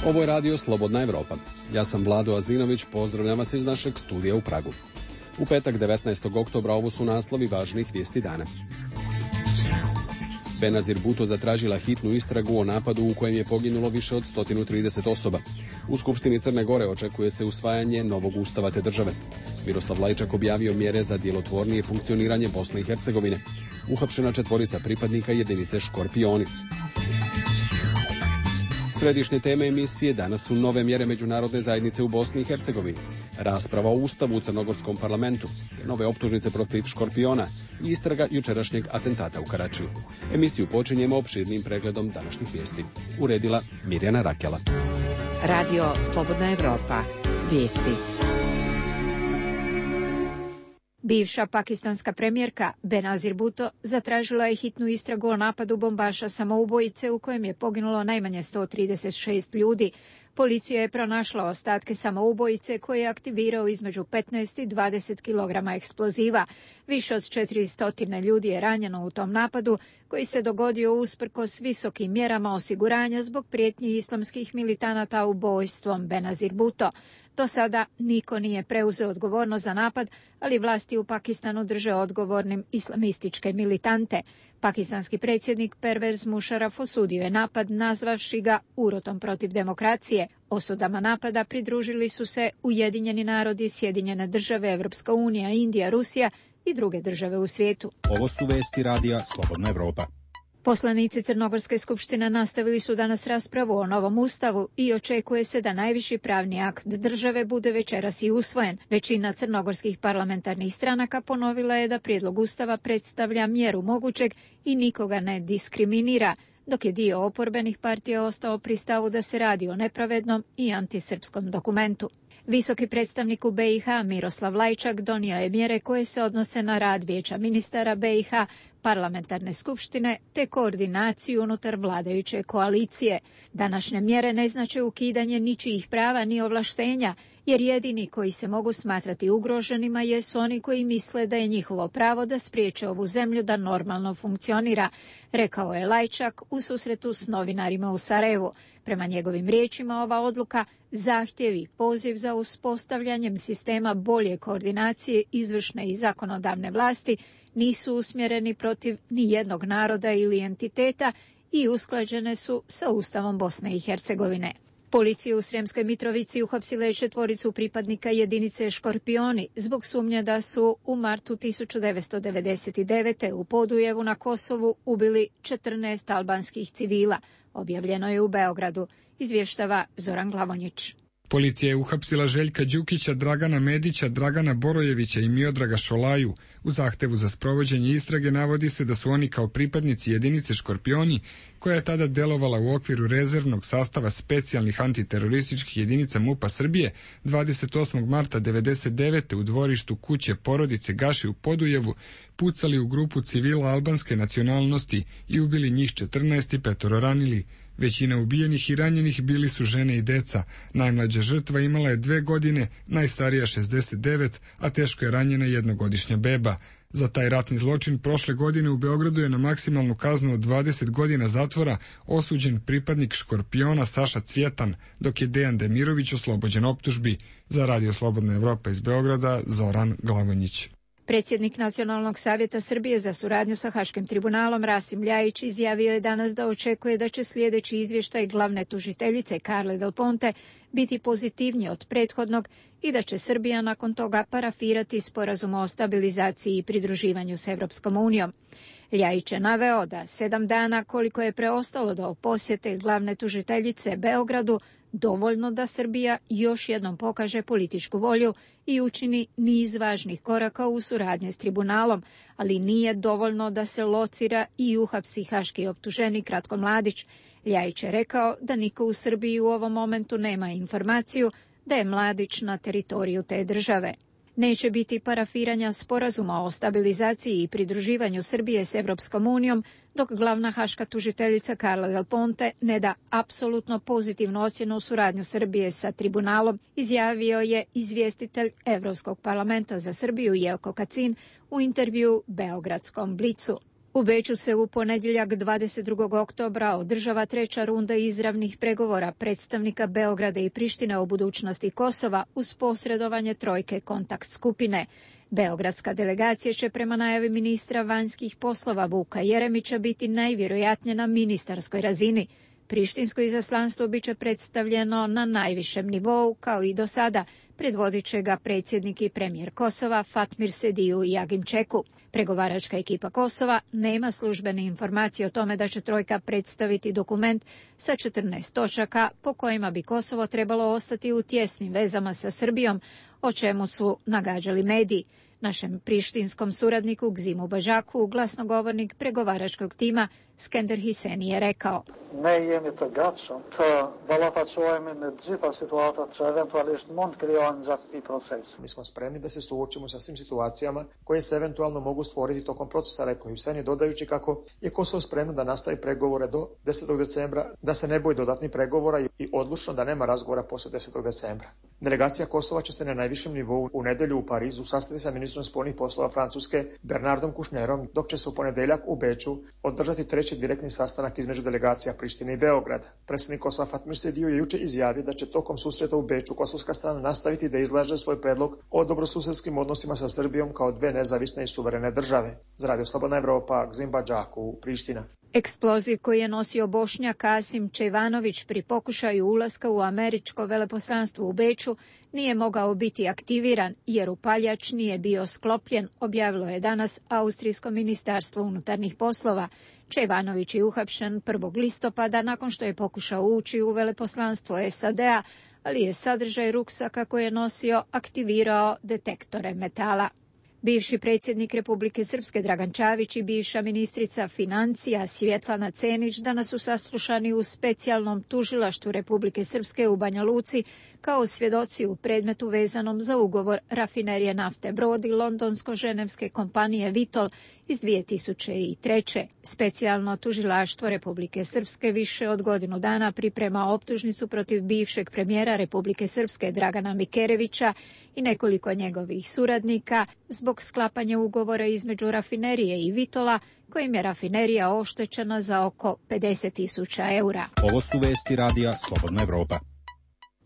Ovo je radio Slobodna Evropa. Ja sam Vlado Azinović, pozdravljam vas iz našeg studija u Pragu. U petak 19. oktobra ovo su naslovi važnih vijesti dana. Benazir Bhutto zatražila hitnu istragu o napadu u kojem je poginulo više od 130 osoba. U Skupštini Crne Gore očekuje se usvajanje novog ustava te države. Miroslav Lajčak objavio mjere za djelotvornije funkcioniranje Bosne i Hercegovine. Uhapšena 4 pripadnika jedinice Škorpioni. Središnje teme emisije danas su nove mjere međunarodne zajednice u Bosni i Hercegovini, rasprava o ustavu u crnogorskom parlamentu, nove optužnice protiv Škorpiona i istraga jučerašnjeg atentata u Karačiju. Emisiju počinjemo opširnim pregledom današnjih vijesti. Uredila Mirjana Rakela. Radio Slobodna Evropa. Vijesti. Bivša pakistanska premijerka Benazir Bhutto zatražila je hitnu istragu o napadu bombaša samoubojice u kojem je poginulo najmanje 136 ljudi. Policija je pronašla ostatke samoubojice koje je aktivirao između 15 i 20 kg eksploziva. Više od 400 ljudi je ranjeno u tom napadu koji se dogodio usprkos visokim mjerama osiguranja zbog prijetnji islamskih militanata ubojstvom Benazir Bhutto. Do sada niko nije preuzeo odgovornost za napad, ali vlasti u Pakistanu drže odgovornim islamističke militante. Pakistanski predsjednik Pervez Musharraf osudio je napad nazvavši ga urotom protiv demokracije. Osudama napada pridružili su se Ujedinjeni narodi, Sjedinjene države, Evropska unija, Indija, Rusija i druge države u svijetu. Ovo su vesti radija Slobodna Evropa. Poslanici Crnogorske skupštine nastavili su danas raspravu o novom ustavu i očekuje se da najviši pravni akt države bude večeras i usvojen. Većina crnogorskih parlamentarnih stranaka ponovila je da prijedlog ustava predstavlja mjeru mogućeg i nikoga ne diskriminira, dok je dio oporbenih partija ostao pri stavu da se radi o nepravednom i antisrpskom dokumentu. Visoki predstavnik u BiH Miroslav Lajčak donio je mjere koje se odnose na rad Vijeća ministara BiH, parlamentarne skupštine te koordinaciju unutar vladajuće koalicije. Današnje mjere ne znače ukidanje ničijih prava ni ovlaštenja, jer jedini koji se mogu smatrati ugroženima jesu oni koji misle da je njihovo pravo da spriječe ovu zemlju da normalno funkcionira, rekao je Lajčak u susretu s novinarima u Sarajevu. Prema njegovim riječima ova odluka zahtjevi poziv za uspostavljanjem sistema bolje koordinacije izvršne i zakonodavne vlasti nisu usmjereni protiv ni jednog naroda ili entiteta i usklađene su sa Ustavom Bosne i Hercegovine. Policija u Sremskoj Mitrovici uhapsila je 4 pripadnika jedinice Škorpioni zbog sumnje da su u martu 1999. u Podujevu na Kosovu ubili 14 albanskih civila. Objavljeno je u Beogradu, izvještava Zoran Glavonjić. Policija je uhapsila Željka Đukića, Dragana Medića, Dragana Borojevića i Miodraga Šolaju. U zahtevu za sprovođenje istrage navodi se da su oni kao pripadnici jedinice Škorpioni, koja je tada delovala u okviru rezervnog sastava specijalnih antiterorističkih jedinica MUP-a Srbije, 28. marta 1999. u dvorištu kuće porodice Gaši u Podujevu pucali u grupu civila albanske nacionalnosti i ubili njih 14 i 5 ranili. Većina ubijenih i ranjenih bili su žene i deca. Najmlađa žrtva imala je 2 godine, najstarija 69, a teško je ranjena 1-godišnja beba. Za taj ratni zločin prošle godine u Beogradu je na maksimalnu kaznu od 20 godina zatvora osuđen pripadnik Škorpiona Saša Cvjetan, dok je Dejan Demirović oslobođen optužbi. Za Radio Slobodna Evropa iz Beograda, Zoran Glavonjić. Predsjednik Nacionalnog savjeta Srbije za suradnju sa Haškim tribunalom Rasim Ljajić izjavio je danas da očekuje da će sljedeći izvještaj glavne tužiteljice Carle Del Ponte biti pozitivniji od prethodnog i da će Srbija nakon toga parafirati sporazum o stabilizaciji i pridruživanju s Evropskom unijom. Ljajić je naveo da 7 dana koliko je preostalo do posjete glavne tužiteljice Beogradu dovoljno da Srbija još jednom pokaže političku volju i učini niz važnih koraka u suradnji s tribunalom, ali nije dovoljno da se locira i uhapsi haški optuženik Ratko Mladić. Ljajić je rekao da niko u Srbiji u ovom momentu nema informaciju da je Mladić na teritoriju te države. Neće biti parafiranja sporazuma o stabilizaciji i pridruživanju Srbije s Evropskom unijom, dok glavna haška tužiteljica Carla Del Ponte ne da apsolutno pozitivnu ocjenu suradnju Srbije sa tribunalom, izjavio je izvjestitelj Evropskog parlamenta za Srbiju Jelko Kacin u intervjuu Beogradskom Blicu. U Beču se u ponedjeljak 22. oktobra održava treća runda izravnih pregovora predstavnika Beograda i Prištine o budućnosti Kosova uz posredovanje trojke kontakt skupine. Beogradska delegacija će prema najavi ministra vanjskih poslova Vuka Jeremića biti najvjerojatnije na ministarskoj razini. Prištinsko izaslanstvo biće predstavljeno na najvišem nivou, kao i do sada, predvodit će ga predsjednik i premijer Kosova Fatmir Sediju i Agim Čeku. Pregovaračka ekipa Kosova nema službene informacije o tome da će trojka predstaviti dokument sa 14 točaka po kojima bi Kosovo trebalo ostati u tjesnim vezama sa Srbijom, o čemu su nagađali mediji. Našem prištinskom suradniku Gzimu Bažaku, glasnogovornik pregovaračkog tima Skender Hiseni je rekao: Mi smo spremni da se suočimo sa svim situacijama koje se eventualno mogu stvoriti tokom procesa, rekao Hiseni, dodajući kako je Kosovo spremno da nastavi pregovore do 10. decembra, da se ne boji dodatnih pregovora i odlučno da nema razgovora poslije 10. decembra. Delegacija Kosova će se na najvišem nivou u nedjelju u Parizu sastati sa ministrom spoljnih poslova Francuske Bernardom Kouchnerom, dok će se u ponedjeljak u Beču održati treći direktni sastanak između delegacija Prištine i Beograda. Predsjednik Kosova Fatmir Sediju je jučer izjavio da će tokom susreta u Beču kosovska strana nastaviti da izlaže svoj predlog o dobrosusjedskim odnosima sa Srbijom kao dve nezavisne i suverene države. Za Radio Slobodna Evropa, Gzim Bažaku, Priština. Eksploziv koji je nosio Bošnjak Kasim Čejvanović pri pokušaju ulaska u američko veleposlanstvo u Beču nije mogao biti aktiviran jer upaljač nije bio sklopljen, objavilo je danas Austrijsko ministarstvo unutarnjih poslova. Čejvanović je uhapšen 1. listopada nakon što je pokušao ući u veleposlanstvo SAD-a, ali je sadržaj ruksaka koji je nosio aktivirao detektore metala. Bivši predsjednik Republike Srpske Dragan Čavić i bivša ministrica financija Svjetlana Cenić danas su saslušani u specijalnom tužilaštvu Republike Srpske u Banja Luci kao svjedoci u predmetu vezanom za ugovor rafinerije nafte Brod i londonsko-ženevske kompanije Vitol iz 2003. Specijalno tužilaštvo Republike Srpske više od godinu dana priprema optužnicu protiv bivšeg premijera Republike Srpske Dragana Mikerevića i nekoliko njegovih suradnika zbog sklapanja ugovora između rafinerije i Vitola, kojim je rafinerija oštećena za oko 50.000 eura. Ovo su vesti radija Slobodna Evropa.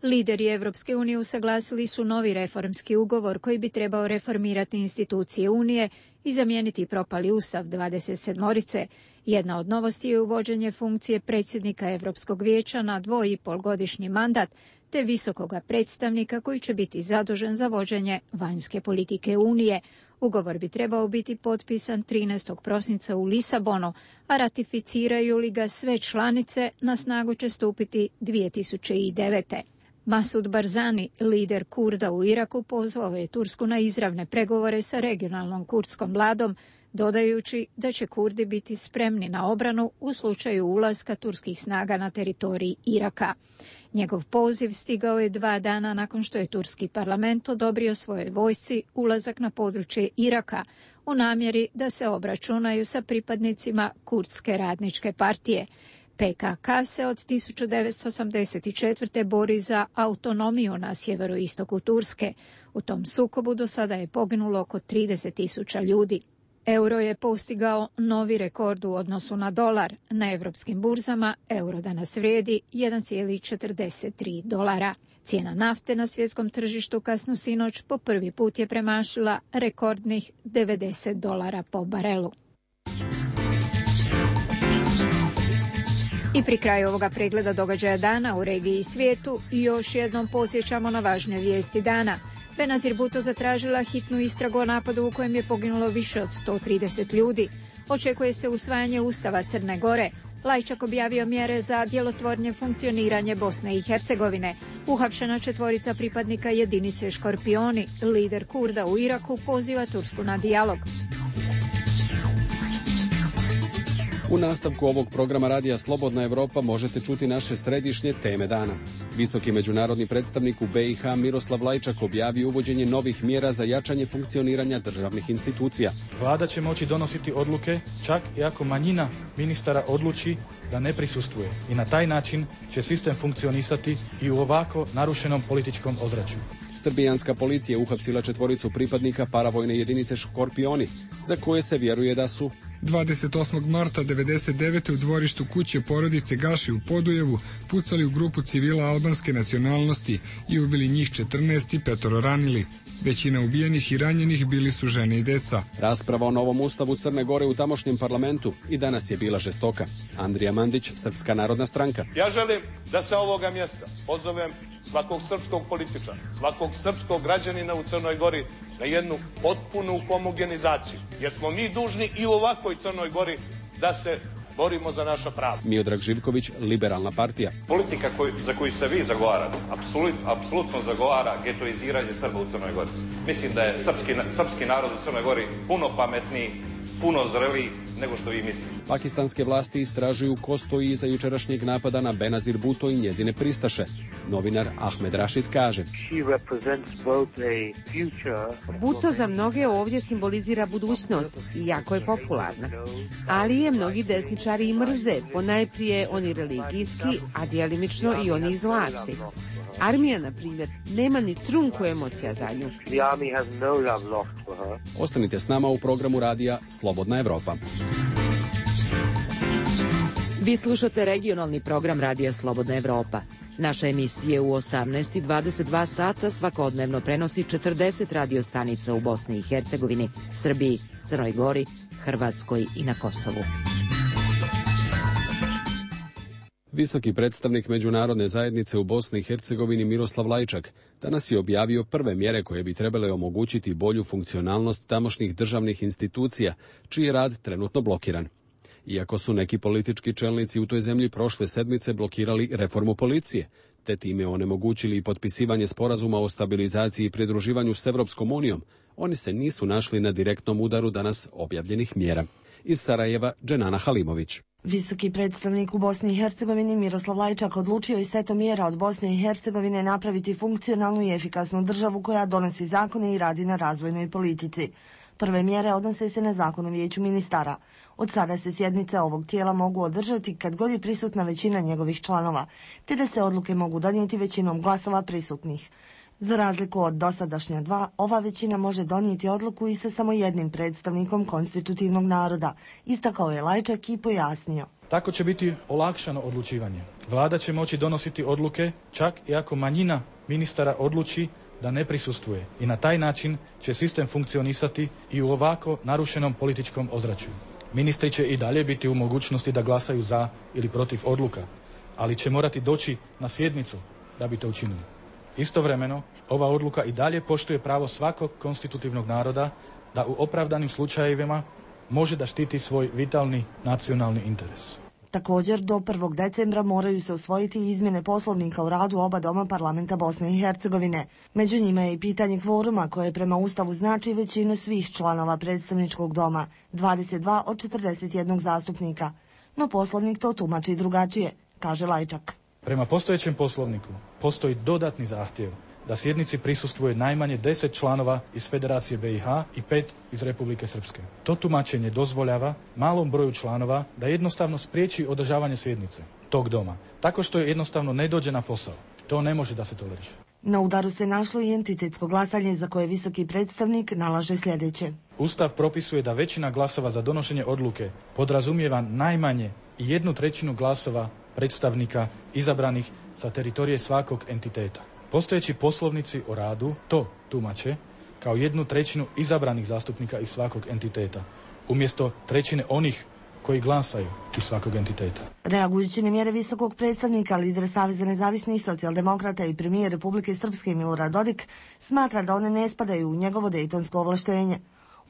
Lideri Evropske unije usaglasili su novi reformski ugovor koji bi trebao reformirati institucije Unije i zamijeniti propali ustav 27-orice. Jedna od novosti je uvođenje funkcije predsjednika Evropskog vijeća na 2,5-godišnji mandat, te visokoga predstavnika koji će biti zadužen za vođenje vanjske politike Unije. Ugovor bi trebao biti potpisan 13. prosinca u Lisabonu, a ratificiraju li ga sve članice, na snagu će stupiti 2009. Masud Barzani, lider Kurda u Iraku, pozvao je Tursku na izravne pregovore sa regionalnom kurdskom vladom, dodajući da će Kurdi biti spremni na obranu u slučaju ulaska turskih snaga na teritorij Iraka. Njegov poziv stigao je 2 dana nakon što je turski parlament odobrio svojoj vojsci ulazak na područje Iraka u namjeri da se obračunaju sa pripadnicima Kurdske radničke partije. PKK se od 1984. bori za autonomiju na sjeveroistoku Turske. U tom sukobu do sada je poginulo oko 30.000 ljudi. Euro je postigao novi rekord u odnosu na dolar. Na evropskim burzama euro danas vrijedi 1,43 dolara. Cijena nafte na svjetskom tržištu kasno sinoć po prvi put je premašila rekordnih 90 dolara po barelu. I pri kraju ovoga pregleda događaja dana u regiji i svijetu još jednom podsjećamo na važne vijesti dana. Benazir Bhutto zatražila hitnu istragu o napadu u kojem je poginulo više od 130 ljudi. Očekuje se usvajanje Ustava Crne Gore. Lajčak objavio mjere za djelotvornije funkcioniranje Bosne i Hercegovine. Uhapšena 4 pripadnika jedinice Škorpioni. Lider Kurda u Iraku poziva Tursku na dijalog. U nastavku ovog programa radija Slobodna Evropa možete čuti naše središnje teme dana. Visoki međunarodni predstavnik u BiH Miroslav Lajčak objavio uvođenje novih mjera za jačanje funkcioniranja državnih institucija. Vlada će moći donositi odluke čak i ako manjina ministara odluči da ne prisustvuje i na taj način će sistem funkcionisati i u ovako narušenom političkom ozračju. Srbijanska policija uhapsila 4 pripadnika paravojne jedinice Škorpioni, za koje se vjeruje da su 28. marta 1999. u dvorištu kuće porodice Gaši u Podujevu pucali u grupu civila albanske nacionalnosti i ubili njih 14 i 5 ranili. Većina ubijenih i ranjenih bili su žene i deca. Rasprava o novom ustavu Crne Gore u tamošnjem parlamentu i danas je bila žestoka. Andrija Mandić, Srpska narodna stranka. Ja želim da sa ovoga mjesta pozovem svakog srpskog političara, svakog srpskog građanina u Crnoj Gori na jednu potpunu homogenizaciju. Jer smo mi dužni i u ovakvoj Crnoj Gori da se borimo za naša prava. Miodrag Živković, Liberalna partija. Politika za koju se vi zagovarate, apsolutno zagovara getoiziranje Srba u Crnoj Gori. Mislim da je srpski narod u Crnoj Gori puno pametniji, puno zreliji nego što vi mislite. Pakistanske vlasti istražuju ko stoji iza jučerašnjeg napada na Benazir Bhutto i njezine pristaše. Novinar Ahmed Rashid kaže: Bhutto za mnoge ovdje simbolizira budućnost i jako je popularna. Ali je mnogi desničari i mrze, ponajprije oni religijski, a djelimično i oni iz vlasti. Armija, na primjer, nema ni trunku emocija za nju. Ostanite s nama u programu radija Slobodna Evropa. Vi slušate regionalni program radija Slobodna Evropa. Naša emisija u 18:22 sata svakodnevno prenosi 40 radio stanica u Bosni i Hercegovini, Srbiji, Crnoj Gori, Hrvatskoj i na Kosovu. Visoki predstavnik međunarodne zajednice u Bosni i Hercegovini Miroslav Lajčak danas je objavio prve mjere koje bi trebale omogućiti bolju funkcionalnost tamošnjih državnih institucija, čiji je rad trenutno blokiran. Iako su neki politički čelnici u toj zemlji prošle sedmice blokirali reformu policije, te time onemogućili i potpisivanje sporazuma o stabilizaciji i pridruživanju s Evropskom unijom, oni se nisu našli na direktnom udaru danas objavljenih mjera. Iz Sarajeva, Dženana Halimović. Visoki predstavnik u Bosni i Hercegovini Miroslav Lajčak odlučio je setom mjera od Bosne i Hercegovine napraviti funkcionalnu i efikasnu državu koja donosi zakone i radi na razvojnoj politici. Prve mjere odnose se na Zakon o vijeću ministara. Od sada se sjednice ovog tijela mogu održati kad god je prisutna većina njegovih članova, te da se odluke mogu donijeti većinom glasova prisutnih. Za razliku od dosadašnja dva, ova većina može donijeti odluku i sa samo jednim predstavnikom konstitutivnog naroda, istakao je Lajčak i pojasnio. Tako će biti olakšano odlučivanje. Vlada će moći donositi odluke čak i ako manjina ministara odluči da ne prisustvuje i na taj način će sistem funkcionisati i u ovako narušenom političkom ozračju. Ministri će i dalje biti u mogućnosti da glasaju za ili protiv odluka, ali će morati doći na sjednicu da bi to učinili. Istovremeno, ova odluka i dalje poštuje pravo svakog konstitutivnog naroda da u opravdanim slučajevima može da štiti svoj vitalni nacionalni interes. Također, do 1. decembra moraju se usvojiti izmjene poslovnika u radu oba doma parlamenta Bosne i Hercegovine. Među njima je i pitanje kvoruma koje prema Ustavu znači većinu svih članova predstavničkog doma, 22 od 41 zastupnika. No poslovnik to tumači drugačije, kaže Lajčak. Prema postojećem poslovniku postoji dodatni zahtjev da sjednici prisustvuje najmanje 10 članova iz Federacije BiH i 5 iz Republike Srpske. To tumačenje dozvoljava malom broju članova da jednostavno spriječi održavanje sjednice tog doma, tako što je jednostavno ne dođe na posao. To ne može da se toleriše. Na udaru se našlo i entitetsko glasanje za koje visoki predstavnik nalaže sljedeće. Ustav propisuje da većina glasova za donošenje odluke podrazumijeva najmanje 1/3 glasova predstavnika izabranih sa teritorije svakog entiteta. Postojeći poslovnici o radu to tumače kao 1/3 izabranih zastupnika iz svakog entiteta, umjesto trećine onih koji glasaju iz svakog entiteta. Reagujući na mjere visokog predstavnika, lider Saveza nezavisnih socijaldemokrata i premijer Republike Srpske Milorad Dodik smatra da one ne spadaju u njegovo dejtonsko ovlaštenje.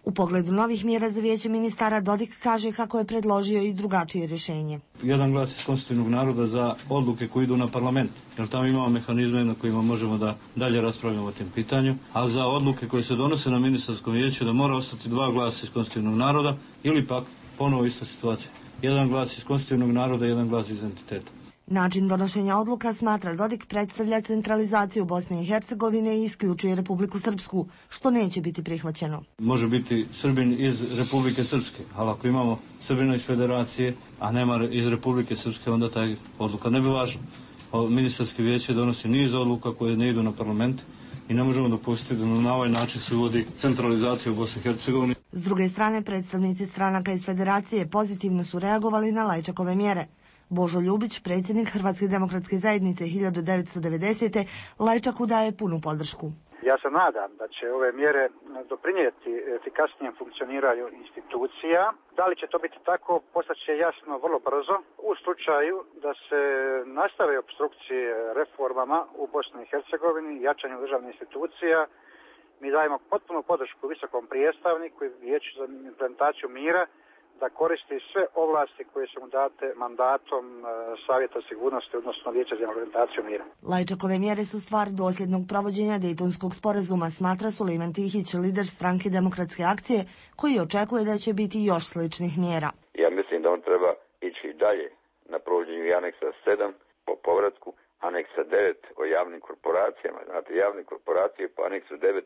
U pogledu novih mjera za vijeće ministara Dodik kaže kako je predložio i drugačije rješenje. Jedan glas iz konstitutivnog naroda za odluke koje idu na parlament, jer tamo imamo mehanizme na kojima možemo da dalje raspravljamo o tim pitanju, a za odluke koje se donose na ministarskom vijeću da mora ostati 2 glasa iz konstitutivnog naroda ili pak ponovo ista situacija. Jedan glas iz konstitutivnog naroda, jedan glas iz entiteta. Način donošenja odluka, smatra Dodik, predstavlja centralizaciju Bosne i Hercegovine i isključuje Republiku Srpsku, što neće biti prihvaćeno. Može biti Srbin iz Republike Srpske, ali ako imamo Srbina iz Federacije, a nema iz Republike Srpske, onda taj odluka ne bi važna. Ministarske vijeće donosi niz odluka koje ne idu na parlament i ne možemo dopustiti da na ovaj način se uvodi centralizacija u Bosni i Hercegovini. S druge strane, predstavnici stranaka iz Federacije pozitivno su reagovali na Lajčakove mjere. Božo Ljubić, predsjednik Hrvatske demokratske zajednice 1990. Lajčaku daje punu podršku. Ja se nadam da će ove mjere doprinijeti efikasnijem funkcioniranju institucija. Da li će to biti tako, postaće jasno vrlo brzo. U slučaju da se nastave opstrukcije reformama u Bosni i Hercegovini i jačanju državnih institucija, mi dajemo potpunu podršku visokom predstavniku i Vijeću za implementaciju mira da koristi sve ovlasti koje su mu date mandatom Savjeta sigurnosti, odnosno Vijeća za implementaciju mira. Lajčakove mjere su stvar dosljednog provođenja Dejtonskog sporazuma, smatra Sulejman Tihić, lider stranke Demokratske akcije, koji očekuje da će biti još sličnih mjera. Ja mislim da on treba ići dalje na provođenju i aneksa 7 po povratku, aneksa 9 o javnim korporacijama. Znate, javne korporacije po aneksu 9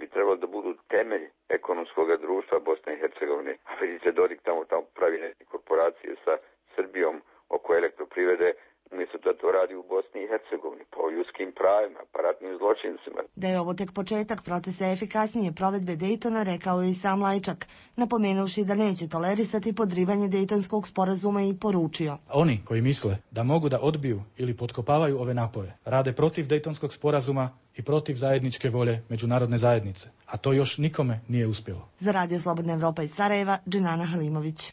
bi trebalo da budu temelj ekonomskog društva Bosne i Hercegovine. A vidite, Dodik tamo pravi neke korporacije sa Srbijom oko elektroprivrede, umjesto da to radi u Bosni i Hercegovini, po ljudskim pravima, pa ratnim zločincima. Da je ovo tek početak procesa efikasnije provedbe Dejtona, rekao je i sam Lajčak, napomenuvši da neće tolerisati podrivanje Dejtonskog sporazuma i poručio. Oni koji misle da mogu da odbiju ili potkopavaju ove napore, rade protiv Dejtonskog sporazuma i protiv zajedničke volje međunarodne zajednice, a to još nikome nije uspjelo. Za Radio Slobodna Evropa iz Sarajeva, Dženana Halimović.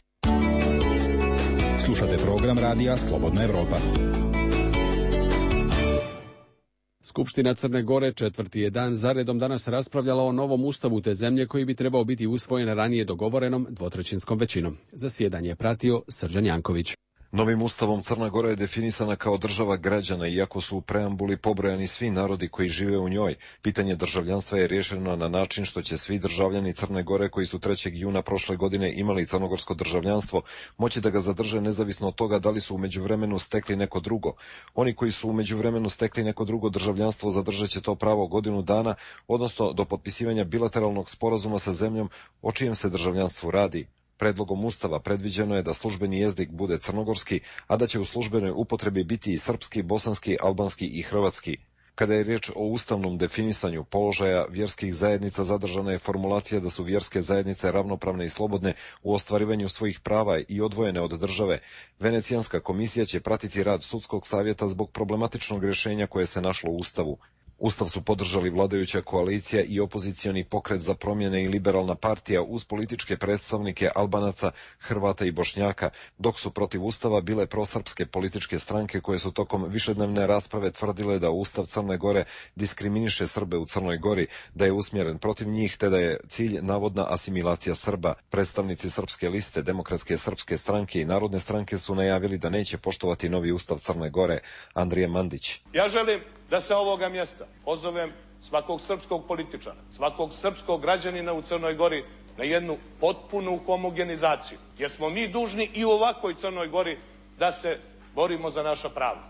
Slušate program Radija Slobodna Evropa. Skupština Crne Gore četvrti je dan zaredom danas raspravljala o novom ustavu te zemlje koji bi trebao biti usvojen ranije dogovorenom dvotrećinskom većinom. Zasjedanje je pratio Srđan Janković. Novim ustavom Crna Gora je definisana kao država građana, iako su u preambuli pobrojani svi narodi koji žive u njoj. Pitanje državljanstva je rješeno na način što će svi državljani Crne Gore koji su 3. juna prošle godine imali crnogorsko državljanstvo moći da ga zadrže nezavisno od toga da li su u međuvremenu stekli neko drugo. Oni koji su u međuvremenu stekli neko drugo državljanstvo zadržat će to pravo godinu dana, odnosno do potpisivanja bilateralnog sporazuma sa zemljom o čijem se državljanstvu radi. Predlogom ustava predviđeno je da službeni jezik bude crnogorski, a da će u službenoj upotrebi biti i srpski, bosanski, albanski i hrvatski. Kada je riječ o ustavnom definisanju položaja vjerskih zajednica, zadržana je formulacija da su vjerske zajednice ravnopravne i slobodne u ostvarivanju svojih prava i odvojene od države. Venecijanska komisija će pratiti rad sudskog savjeta zbog problematičnog rješenja koje se našlo u ustavu. Ustav su podržali vladajuća koalicija i opozicioni pokret za promjene i liberalna partija uz političke predstavnike Albanaca, Hrvata i Bošnjaka, dok su protiv ustava bile prosrpske političke stranke koje su tokom višednevne rasprave tvrdile da Ustav Crne Gore diskriminiše Srbe u Crnoj Gori, da je usmjeren protiv njih te da je cilj navodna asimilacija Srba. Predstavnici Srpske liste, Demokratske srpske stranke i Narodne stranke su najavili da neće poštovati novi Ustav Crne Gore. Andrija Mandić. Ja želim da se ovoga mjesta pozovem svakog srpskog političara, svakog srpskog građanina u Crnoj Gori na jednu potpunu homogenizaciju. Jer smo mi dužni i u ovakvoj Crnoj Gori da se borimo za naša prava.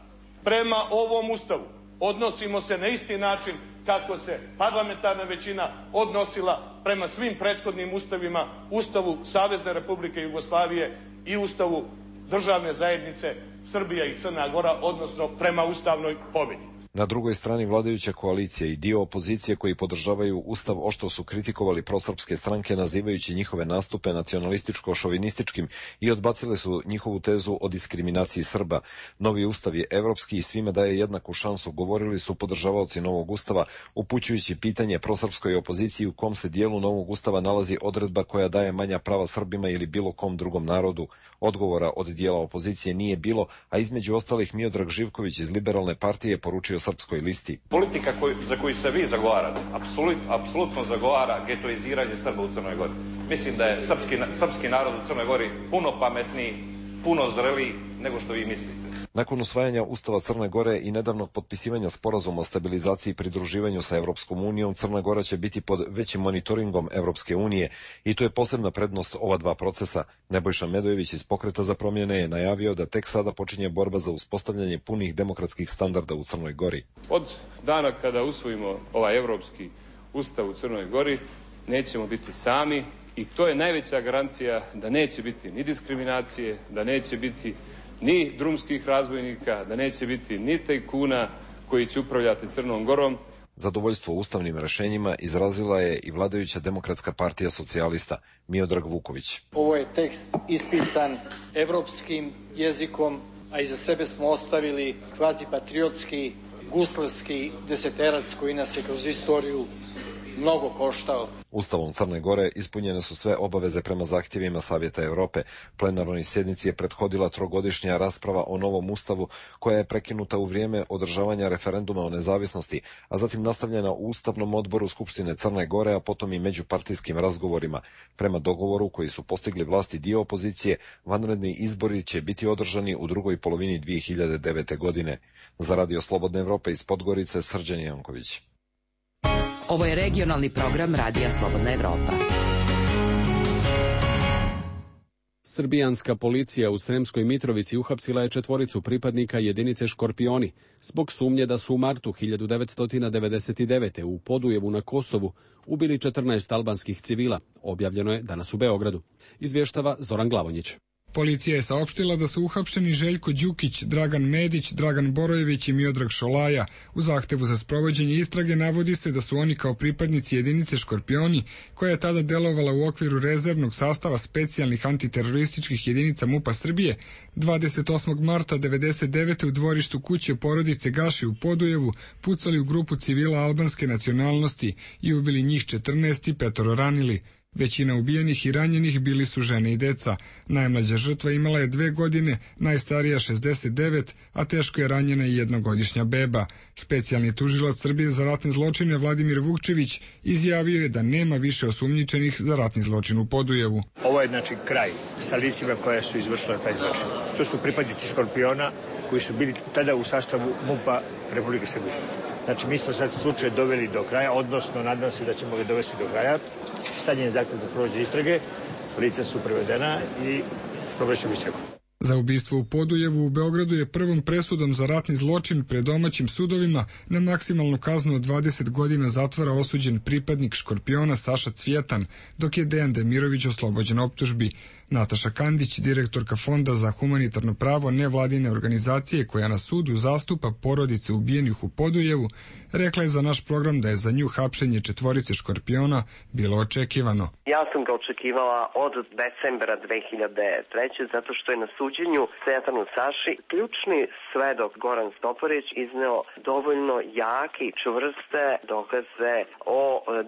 Prema ovom ustavu odnosimo se na isti način kako se parlamentarna većina odnosila prema svim prethodnim ustavima, Ustavu Savezne Republike Jugoslavije i Ustavu državne zajednice Srbija i Crna Gora, odnosno prema Ustavnoj povelji. Na drugoj strani vladajuća koalicija i dio opozicije koji podržavaju ustav oštro su kritikovali prosrpske stranke nazivajući njihove nastupe nacionalističko-šovinističkim i odbacile su njihovu tezu o diskriminaciji Srba. Novi ustav je evropski i svima daje jednaku šansu, govorili su podržavaoci novog ustava, upućujući pitanje prosrpskoj opoziciji u kom se dijelu novog ustava nalazi odredba koja daje manja prava Srbima ili bilo kom drugom narodu. Odgovora od dijela opozicije nije bilo, a između ostalih Miodrag Živković iz Liberalne partije poručio Srpskoj listi. Politika za koju se vi zagovarate, apsolutno zagovara getoiziranje Srba u Crnoj Gori. Mislim da je srpski narod u Crnoj Gori puno pametniji, puno zreliji nego što vi mislite. Nakon usvajanja Ustava Crne Gore i nedavnog potpisivanja sporazuma o stabilizaciji i pridruživanju sa Evropskom unijom, Crna Gora će biti pod većim monitoringom Evropske unije i to je posebna prednost ova dva procesa. Nebojša Medojević iz Pokreta za promjene je najavio da tek sada počinje borba za uspostavljanje punih demokratskih standarda u Crnoj Gori. Od dana kada usvojimo ovaj Evropski Ustav u Crnoj Gori, nećemo biti sami i to je najveća garancija da neće biti ni diskriminacije, da neće biti ni drumskih razbojnika, da neće biti ni tajkuna koji će upravljati Crnom Gorom. Zadovoljstvo ustavnim rešenjima izrazila je i vladajuća Demokratska partija socijalista Miodrag Vuković. Ovo je tekst ispisan evropskim jezikom, a iza sebe smo ostavili kvazi patriotski, guslarski deseterac koji nas je kroz istoriju mnogo koštao. Ustavom Crne Gore ispunjene su sve obaveze prema zahtjevima Savjeta Evrope. Plenarnoj sjednici je prethodila trogodišnja rasprava o novom ustavu koja je prekinuta u vrijeme održavanja referenduma o nezavisnosti, a zatim nastavljena u Ustavnom odboru Skupštine Crne Gore, a potom i međupartijskim razgovorima. Prema dogovoru koji su postigli vlasti dio opozicije, vanredni izbori će biti održani u drugoj polovini 2009. godine. Za Radio Slobodne Evrope iz Podgorice, Srđan Janković. Ovo je regionalni program Radija Slobodna Evropa. Srbijanska policija u Sremskoj Mitrovici uhapsila je 4 pripadnika jedinice Škorpioni zbog sumnje da su u martu 1999. u Podujevu na Kosovu ubili 14 albanskih civila. Objavljeno je danas u Beogradu. Izvještava Zoran Glavonjić. Policija je saopštila da su uhapšeni Željko Đukić, Dragan Medić, Dragan Borojević i Miodrag Šolaja. U zahtevu za sprovođenje istrage navodi se da su oni kao pripadnici jedinice Škorpioni, koja je tada delovala u okviru rezervnog sastava specijalnih antiterorističkih jedinica MUP-a Srbije, 28. marta 1999. u dvorištu kuće porodice Gaši u Podujevu pucali u grupu civila albanske nacionalnosti i ubili njih 14 i 5 ranili. Većina ubijenih i ranjenih bili su žene i deca. Najmlađa žrtva imala je 2 godine, najstarija 69, a teško je ranjena i 1-godišnja beba. Specijalni tužilac Srbije za ratne zločine Vladimir Vukčević izjavio je da nema više osumnjičenih za ratni zločin u Podujevu. Ovo je znači kraj sa licima koja su izvršila taj zločin. To su pripadnici Škorpiona koji su bili tada u sastavu MUP-a Republike Srbije. Znači, mi smo sad slučaj doveli do kraja, odnosno nadam se da ćemo ga dovesti do kraja. Stavljen je zahtev za sprovođenje istrage, lica su prevedena i sprovedećemo istragu. Za ubistvo u Podujevu u Beogradu je prvom presudom za ratni zločin pred domaćim sudovima na maksimalnu kaznu od 20 godina zatvora osuđen pripadnik Škorpiona Saša Cvjetan, dok je Dejan Demirović oslobođen optužbi. Nataša Kandić, direktorka Fonda za humanitarno pravo nevladine organizacije koja na sudu zastupa porodice ubijenih u Podujevu, rekla je za naš program da je za nju hapšenje 4 Škorpiona bilo očekivano. Ja sam ga očekivala od decembra 2003. zato što je na suđenju Cvjetanu Saši ključni svedok Goran Stoparić izneo dovoljno jake i čvrste dokaze o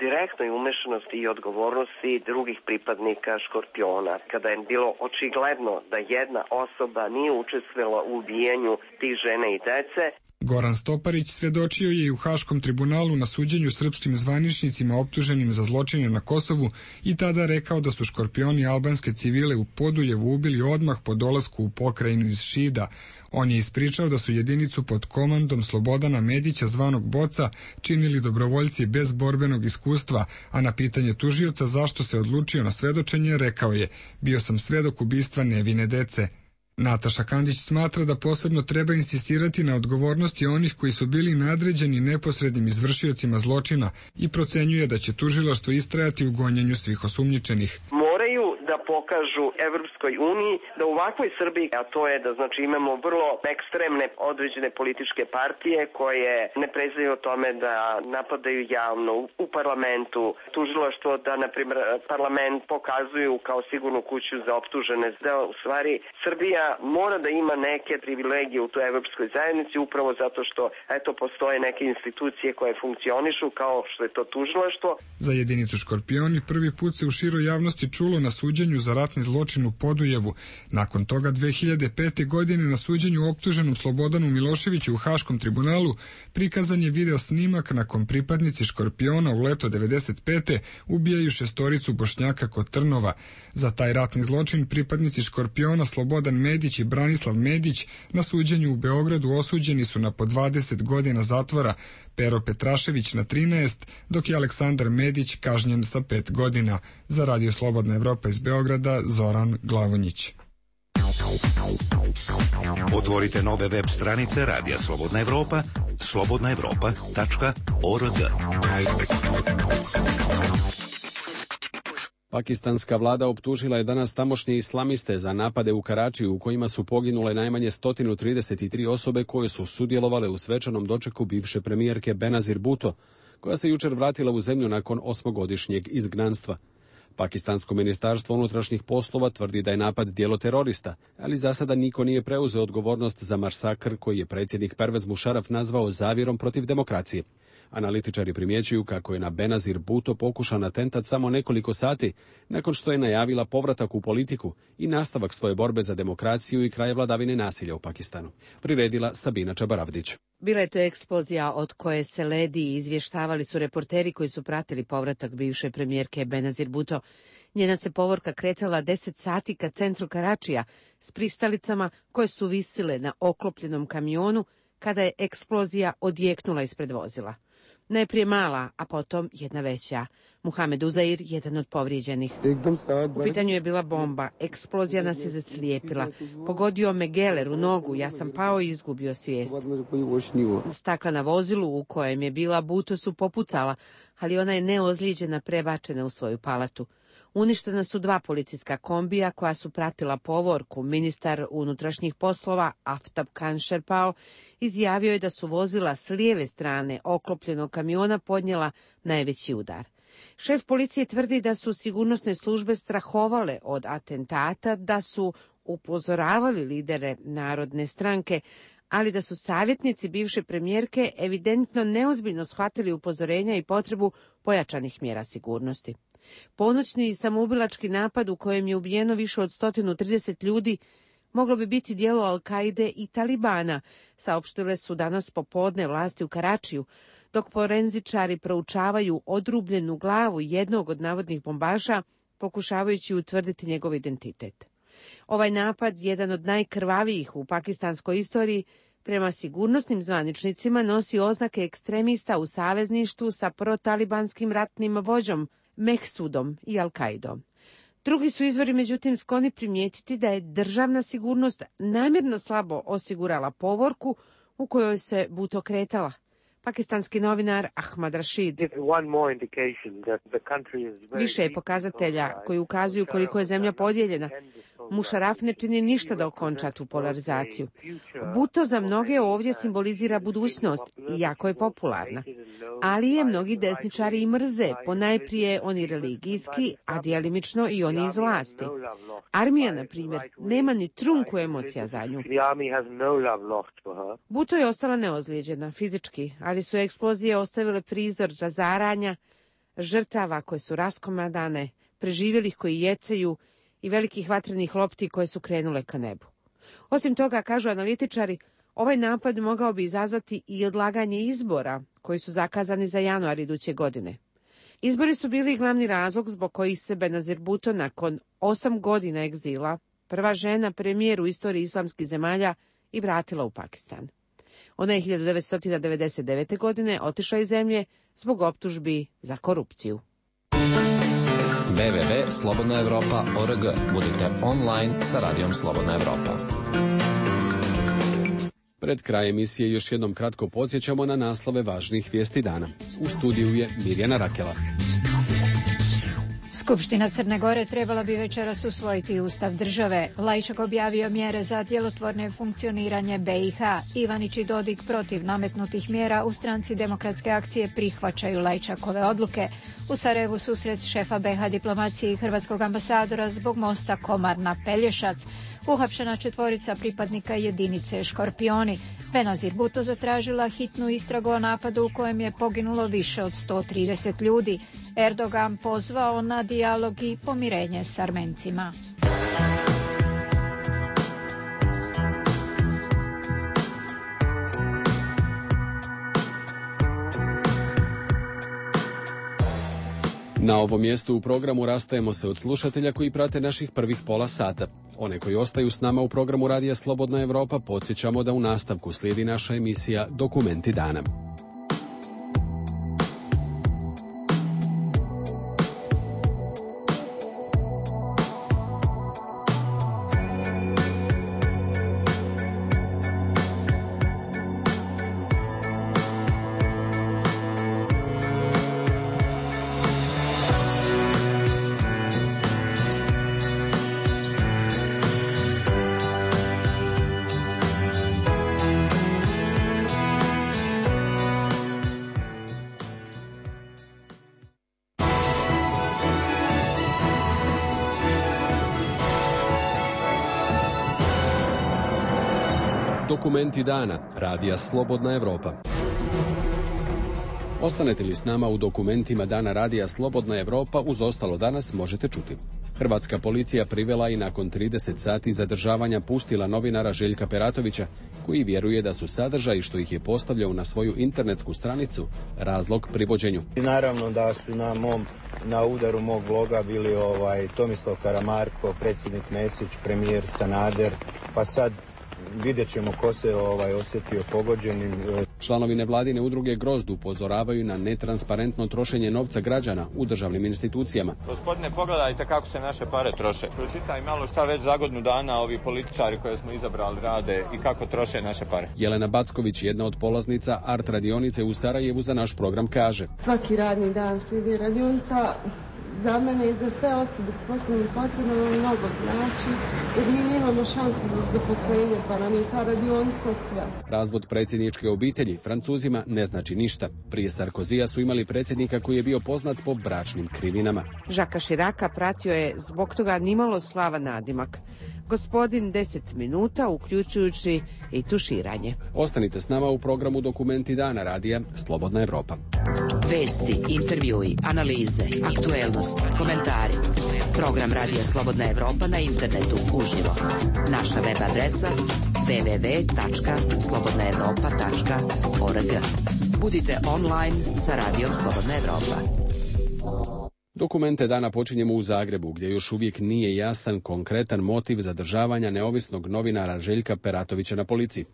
direktnoj umešanosti i odgovornosti drugih pripadnika Škorpiona. Kada je bilo očigledno da jedna osoba nije učestvovala u ubijanju tih žene i dece. Goran Stoparić svedočio je i u Haškom tribunalu na suđenju srpskim zvaničnicima optuženim za zločine na Kosovu i tada rekao da su Škorpioni albanske civile u Podujevu ubili odmah po dolasku u pokrajinu iz Šida. On je ispričao da su jedinicu pod komandom Slobodana Medića zvanog Boca činili dobrovoljci bez borbenog iskustva, a na pitanje tužioca zašto se odlučio na svedočenje rekao je: bio sam svedok ubistva nevine dece. Nataša Kandić smatra da posebno treba insistirati na odgovornosti onih koji su bili nadređeni neposrednim izvršiocima zločina i procenjuje da će tužilaštvo istrajati u gonjenju svih osumnjičenih. Moraju da pokažu Evropskoj uniji da u ovakvoj Srbiji, a to je da znači imamo vrlo ekstremne određene političke partije koje ne prezaju o tome da napadaju javno u parlamentu, tužilaštvo da na primjer parlament pokazuju kao sigurnu kuću za optužene, da u stvari Srbija mora da ima neke privilegije u toj evropskoj zajednici upravo zato što eto postoje neke institucije koje funkcionišu kao što je to tužilaštvo. Za jedinicu Škorpioni prvi put se u široj javnosti čulo na suđenju za ratni zločin u Podujevu. Nakon toga 2005. godine na suđenju optuženom Slobodanu Miloševiću u Haškom tribunalu prikazan je video snimak na kom pripadnici Škorpiona u leto 95. ubijaju 6 Bošnjaka kod Trnova. Za taj ratni zločin pripadnici Škorpiona Slobodan Medić i Branislav Medić na suđenju u Beogradu osuđeni su na po 20 godina zatvora, Pero Petrašević na 13, dok je Aleksandar Medić kažnjen sa 5 godina. Za Radio Slobodna Evropa iz Beograda, Zoran Glavonjić. Otvorite nove web stranice Radija Slobodna Evropa, slobodnaevropa.org. Pakistanska vlada optužila je danas tamošnje islamiste za napade u Karačiju u kojima su poginule najmanje 133 osobe koje su sudjelovale u svečanom dočeku bivše premijerke Benazir Bhutto, koja se jučer vratila u zemlju nakon 8-godišnjeg izgnanstva. Pakistansko ministarstvo unutrašnjih poslova tvrdi da je napad djelo terorista, ali za sada niko nije preuzeo odgovornost za masakr koji je predsjednik Pervez Musharraf nazvao zavjerom protiv demokracije. Analitičari primjećuju kako je na Benazir Bhutto pokušan atentat samo nekoliko sati nakon što je najavila povratak u politiku i nastavak svoje borbe za demokraciju i kraj vladavine nasilja u Pakistanu. Priredila Sabina Čabaravdić. Bila je to eksplozija od koje se ledi i izvještavali su reporteri koji su pratili povratak bivše premijerke Benazir Bhutto. Njena se povorka kretala 10 sati ka centru Karačija s pristalicama koje su visile na oklopljenom kamionu kada je eksplozija odjeknula ispred vozila. Najprije mala, a potom jedna veća. Muhamed Uzair, jedan od povrijeđenih. U pitanju je bila bomba. Eksplozija nas je zaslijepila. Pogodio me geler u nogu, ja sam pao i izgubio svijest. Stakla na vozilu u kojem je bila Bhutto su popucala, ali ona je neozlijeđena prebačena u svoju palatu. Uništena su 2 policijska kombija koja su pratila povorku. Ministar unutrašnjih poslova Aftab Khan Sherpao izjavio je da su vozila s lijeve strane oklopljenog kamiona podnijela najveći udar. Šef policije tvrdi da su sigurnosne službe strahovale od atentata, da su upozoravali lidere Narodne stranke, ali da su savjetnici bivše premijerke evidentno neozbiljno shvatili upozorenja i potrebu pojačanih mjera sigurnosti. Ponoćni samoubilački napad u kojem je ubijeno više od 130 ljudi moglo bi biti djelo Al-Kaide i Talibana, saopštile su danas popodne vlasti u Karačiju, dok forenzičari proučavaju odrubljenu glavu jednog od navodnih bombaša, pokušavajući utvrditi njegov identitet. Ovaj napad, jedan od najkrvavijih u pakistanskoj istoriji, prema sigurnosnim zvaničnicima nosi oznake ekstremista u savezništvu sa protalibanskim ratnim vođom Mehsudom i Al-Kaidom. Drugi su izvori međutim skloni primijetiti da je državna sigurnost namjerno slabo osigurala povorku u kojoj se Bhutto kretala. Pakistanski novinar Ahmad Rashid. Više je pokazatelja koji ukazuju koliko je zemlja podijeljena. Musharraf ne čini ništa da okonča tu polarizaciju. Bhutto za mnoge ovdje simbolizira budućnost i jako je popularna. Ali je mnogi desničari i mrze, ponajprije oni religijski, a djelimično i oni iz vlasti. Armija, na primjer, nema ni trunku emocija za nju. Bhutto je ostala neozlijeđena fizički, ali su eksplozije ostavile prizor razaranja, žrtava koje su raskomadane, preživjelih koji jecaju i velikih vatrenih lopti koje su krenule ka nebu. Osim toga, kažu analitičari, ovaj napad mogao bi izazvati i odlaganje izbora koji su zakazani za januar iduće godine. Izbori su bili glavni razlog zbog kojih se Benazir Bhutto nakon 8 godina egzila, prva žena premijer u istoriji islamskih zemalja, i vratila u Pakistan. Ona je 1999. godine otišla iz zemlje zbog optužbi za korupciju. www.slobodnaevropa.org. Budite online sa Radijom Slobodna Evropa. Pred kraj emisije još jednom kratko podsjećamo na naslove važnih vijesti dana. U studiju je Mirjana Rakela. Skupština Crne Gore trebala bi večeras usvojiti ustav države. Lajčak objavio mjere za djelotvorne funkcioniranje BiH. Ivanić i Dodik protiv nametnutih mjera u Stranci demokratske akcije prihvaćaju Lajčakove odluke. U Sarajevu susret šefa BiH diplomacije i hrvatskog ambasadora zbog mosta Komarna-Pelješac. Uhapšena 4 pripadnika jedinice Škorpioni. Benazir Bhutto zatražila hitnu istragu o napadu u kojem je poginulo više od 130 ljudi. Erdogan pozvao na dijalog i pomirenje s Armencima. Na ovom mjestu u programu rastajemo se od slušatelja koji prate naših prvih pola sata. One koji ostaju s nama u programu Radija Slobodna Evropa podsjećamo da u nastavku slijedi naša emisija Dokumenti dana. Dokumenti dana, Radija Slobodna Evropa. Ostanete li s nama u dokumentima dana Radija Slobodna Evropa, uz ostalo danas možete čuti. Hrvatska policija privela i nakon 30 sati zadržavanja pustila novinara Željka Peratovića, koji vjeruje da su sadržaji što ih je postavljao na svoju internetsku stranicu razlog privođenju. Naravno da su na udaru mog bloga bili Tomislav Karamarko, predsjednik Mesić, premijer Sanader, pa sad vidjet ćemo ko se osjetio pogođenim. Članovi nevladine udruge Grozd upozoravaju na netransparentno trošenje novca građana u državnim institucijama. Gospodine, pogledajte kako se naše pare troše. Pročitaj malo šta već za godinu dana ovi političari koje smo izabrali rade i kako troše naše pare. Jelena Backović, jedna od polaznica art radionice u Sarajevu, za naš program kaže: svaki radni dan slijedi radionica. Za mene i za sve osobe s posebnim potrebama mnogo znači, jer mi nemamo šansu za zaposlenje, pa nam je ta radionica sve. Razvod predsjedničke obitelji Francuzima ne znači ništa. Prije Sarkozija su imali predsjednika koji je bio poznat po bračnim krivinama. Žaka Širaka pratio je zbog toga nimalo slavan nadimak. Gospodin 10 minuta, uključujući i tuširanje. Ostanite s nama u programu Dokumenti dana Radija Slobodna Evropa. Vesti, intervjui, analize, aktuelnosti, komentari. Program Radija Slobodna Evropa na internetu uživo. Naša web adresa www.slobodnaevropa.org. Budite online sa Radijom Slobodna Evropa. Dokumente dana počinjemo u Zagrebu, gdje još uvijek nije jasan konkretan motiv zadržavanja neovisnog novinara Željka Peratovića na policiji.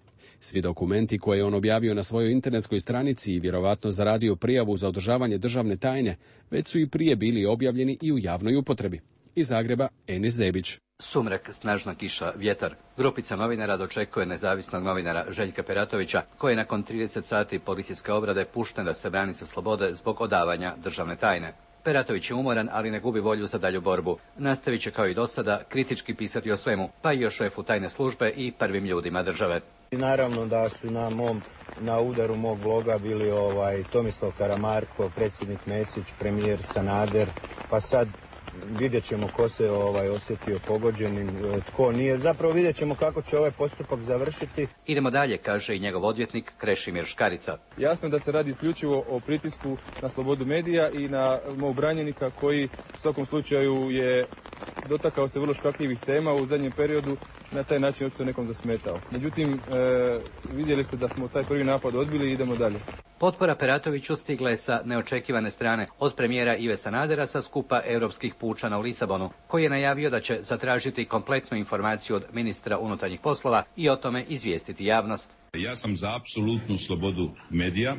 Svi dokumenti koje je on objavio na svojoj internetskoj stranici i vjerovatno zaradio prijavu za održavanje državne tajne, već su i prije bili objavljeni i u javnoj upotrebi. Iz Zagreba, Enis Zebić. Sumrak, snažna kiša, vjetar. Grupica novinara dočekuje nezavisnog novinara Željka Peratovića, koji je nakon 30 sati policijske obrade pušten da se brani sa slobode zbog odavanja državne tajne. Peratović je umoran, ali ne gubi volju za dalju borbu. Nastavit će kao i do sada kritički pisati o svemu, pa i o šefu tajne službe i prvim ljudima države. Naravno da su na udaru mog bloga bili Tomislav Karamarko, predsjednik Mesić, premijer Sanader, pa sad vidjet ćemo ko se osjetio pogođenim, tko nije. Zapravo vidjet ćemo kako će ovaj postupak završiti. Idemo dalje, kaže i njegov odvjetnik Krešimir Škarica. Jasno je da se radi isključivo o pritisku na slobodu medija i na mog branjenika koji u svakom slučaju je dotakao se vrlo škakljivih tema u zadnjem periodu, na taj način očito nekom zasmetao. Međutim, vidjeli ste da smo taj prvi napad odbili i idemo dalje. Potpora Peratoviću stigla je sa neočekivane strane od premijera Ive Sanadera sa skupa europskih pučana u Lisabonu, koji je najavio da će zatražiti kompletnu informaciju od ministra unutarnjih poslova i o tome izvijestiti javnost. Ja sam za apsolutnu slobodu medija.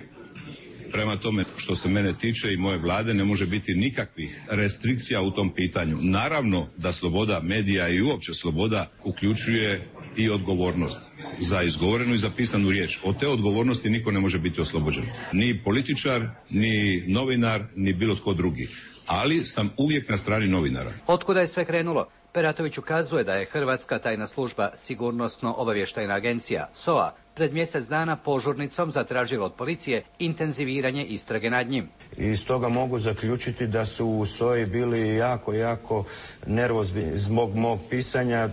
Prema tome, što se mene tiče i moje vlade, ne može biti nikakvih restrikcija u tom pitanju. Naravno da sloboda medija i uopće sloboda uključuje i odgovornost za izgovorenu i zapisanu riječ. Od te odgovornosti niko ne može biti oslobođen. Ni političar, ni novinar, ni bilo tko drugi. ali sam uvijek na strani novinara. Otkuda je sve krenulo? Peratović ukazuje da je Hrvatska tajna služba Sigurnosno-obavještajna agencija, SOA, pred mjesec dana požurnicom zatražila od policije intenziviranje istrage nad njim. I stoga mogu zaključiti da su u SOA-i bili jako nervozni zbog mog pisanja.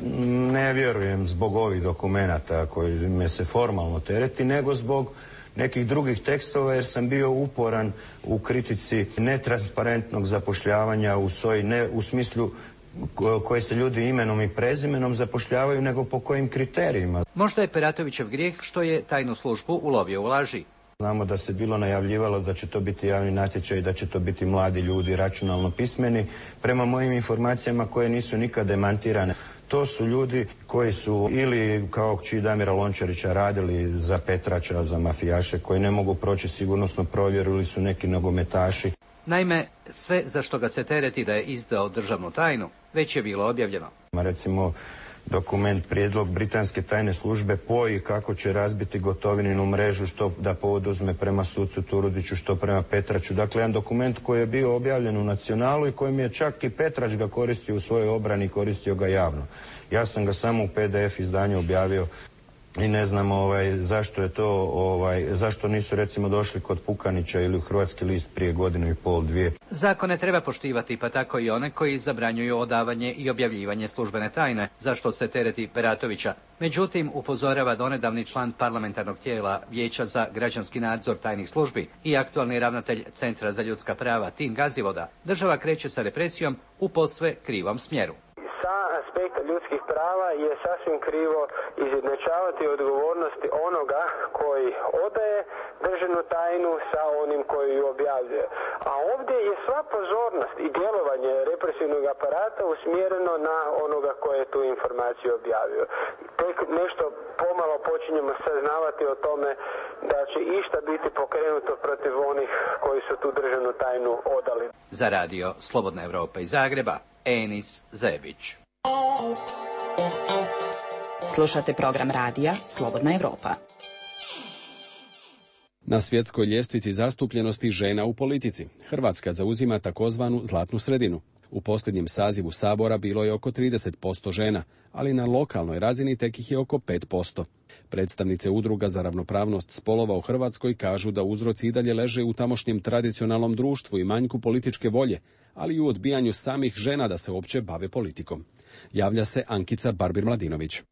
Ne vjerujem zbog ovih dokumenata koji me se formalno tereti, nego zbog nekih drugih tekstova, jer sam bio uporan u kritici netransparentnog zapošljavanja u SOA-i, ne u smislu koje se ljudi imenom i prezimenom zapošljavaju, nego po kojim kriterijima. Možda je Peratovićev grijeh što je tajnu službu ulovio u laži. Znamo da se bilo najavljivalo da će to biti javni natječaj i da će to biti mladi ljudi računalno pismeni. Prema mojim informacijama koje nisu nikad demantirane, to su ljudi koji su ili kao kći Damira Lončarića radili za Petrača, za mafijaše, koji ne mogu proći sigurnosnu provjeru, ili su neki nogometaši. Naime, sve za što ga se tereti da je izdao državnu tajnu, već je bilo objavljeno. Recimo, dokument, prijedlog britanske tajne službe poji kako će razbiti Gotovininu mrežu, što da poduzme prema sucu Turudiću, što prema Petraču. Dakle, jedan dokument koji je bio objavljen u Nacionalu i kojim je čak i Petrač ga koristio u svojoj obrani, koristio ga javno. Ja sam ga samo u PDF izdanju objavio i ne znam zašto je to, zašto nisu recimo došli kod Pukanića ili u Hrvatski list prije 1,5 do 2. Zakone treba poštivati, pa tako i one koji zabranjuju odavanje i objavljivanje službene tajne, zašto se tereti Peratovića. Međutim, upozorava donedavni član parlamentarnog tijela Vijeća za građanski nadzor tajnih službi i aktualni ravnatelj Centra za ljudska prava Tin Gazivoda, država kreće sa represijom u posve krivom smjeru. Sa aspekta ljudskih prava je sasvim krivo izjednačavati odgovornosti onoga koji odaje državnu tajnu sa onim koji ju objavljuje. A ovdje je sva pozornost i djelovanje represivnog aparata usmjereno na onoga koji je tu informaciju objavio. Tek nešto pomalo počinjemo saznavati o tome da će išta biti pokrenuto protiv onih koji su tu državnu tajnu odali. Za radio Slobodna Evropa iz Zagreba, Enis Zebić. Slušate program radija Slobodna Evropa. Na svjetskoj ljestvici zastupljenosti žena u politici Hrvatska zauzima takozvanu zlatnu sredinu. U posljednjem sazivu Sabora bilo je oko 30% žena, ali na lokalnoj razini tek ih je oko 5%. Predstavnice udruga za ravnopravnost spolova u Hrvatskoj kažu da uzroci i dalje leže u tamošnjem tradicionalnom društvu i manjku političke volje, ali i u odbijanju samih žena da se uopće bave politikom. Javlja se Ankica Barbir-Mladinović.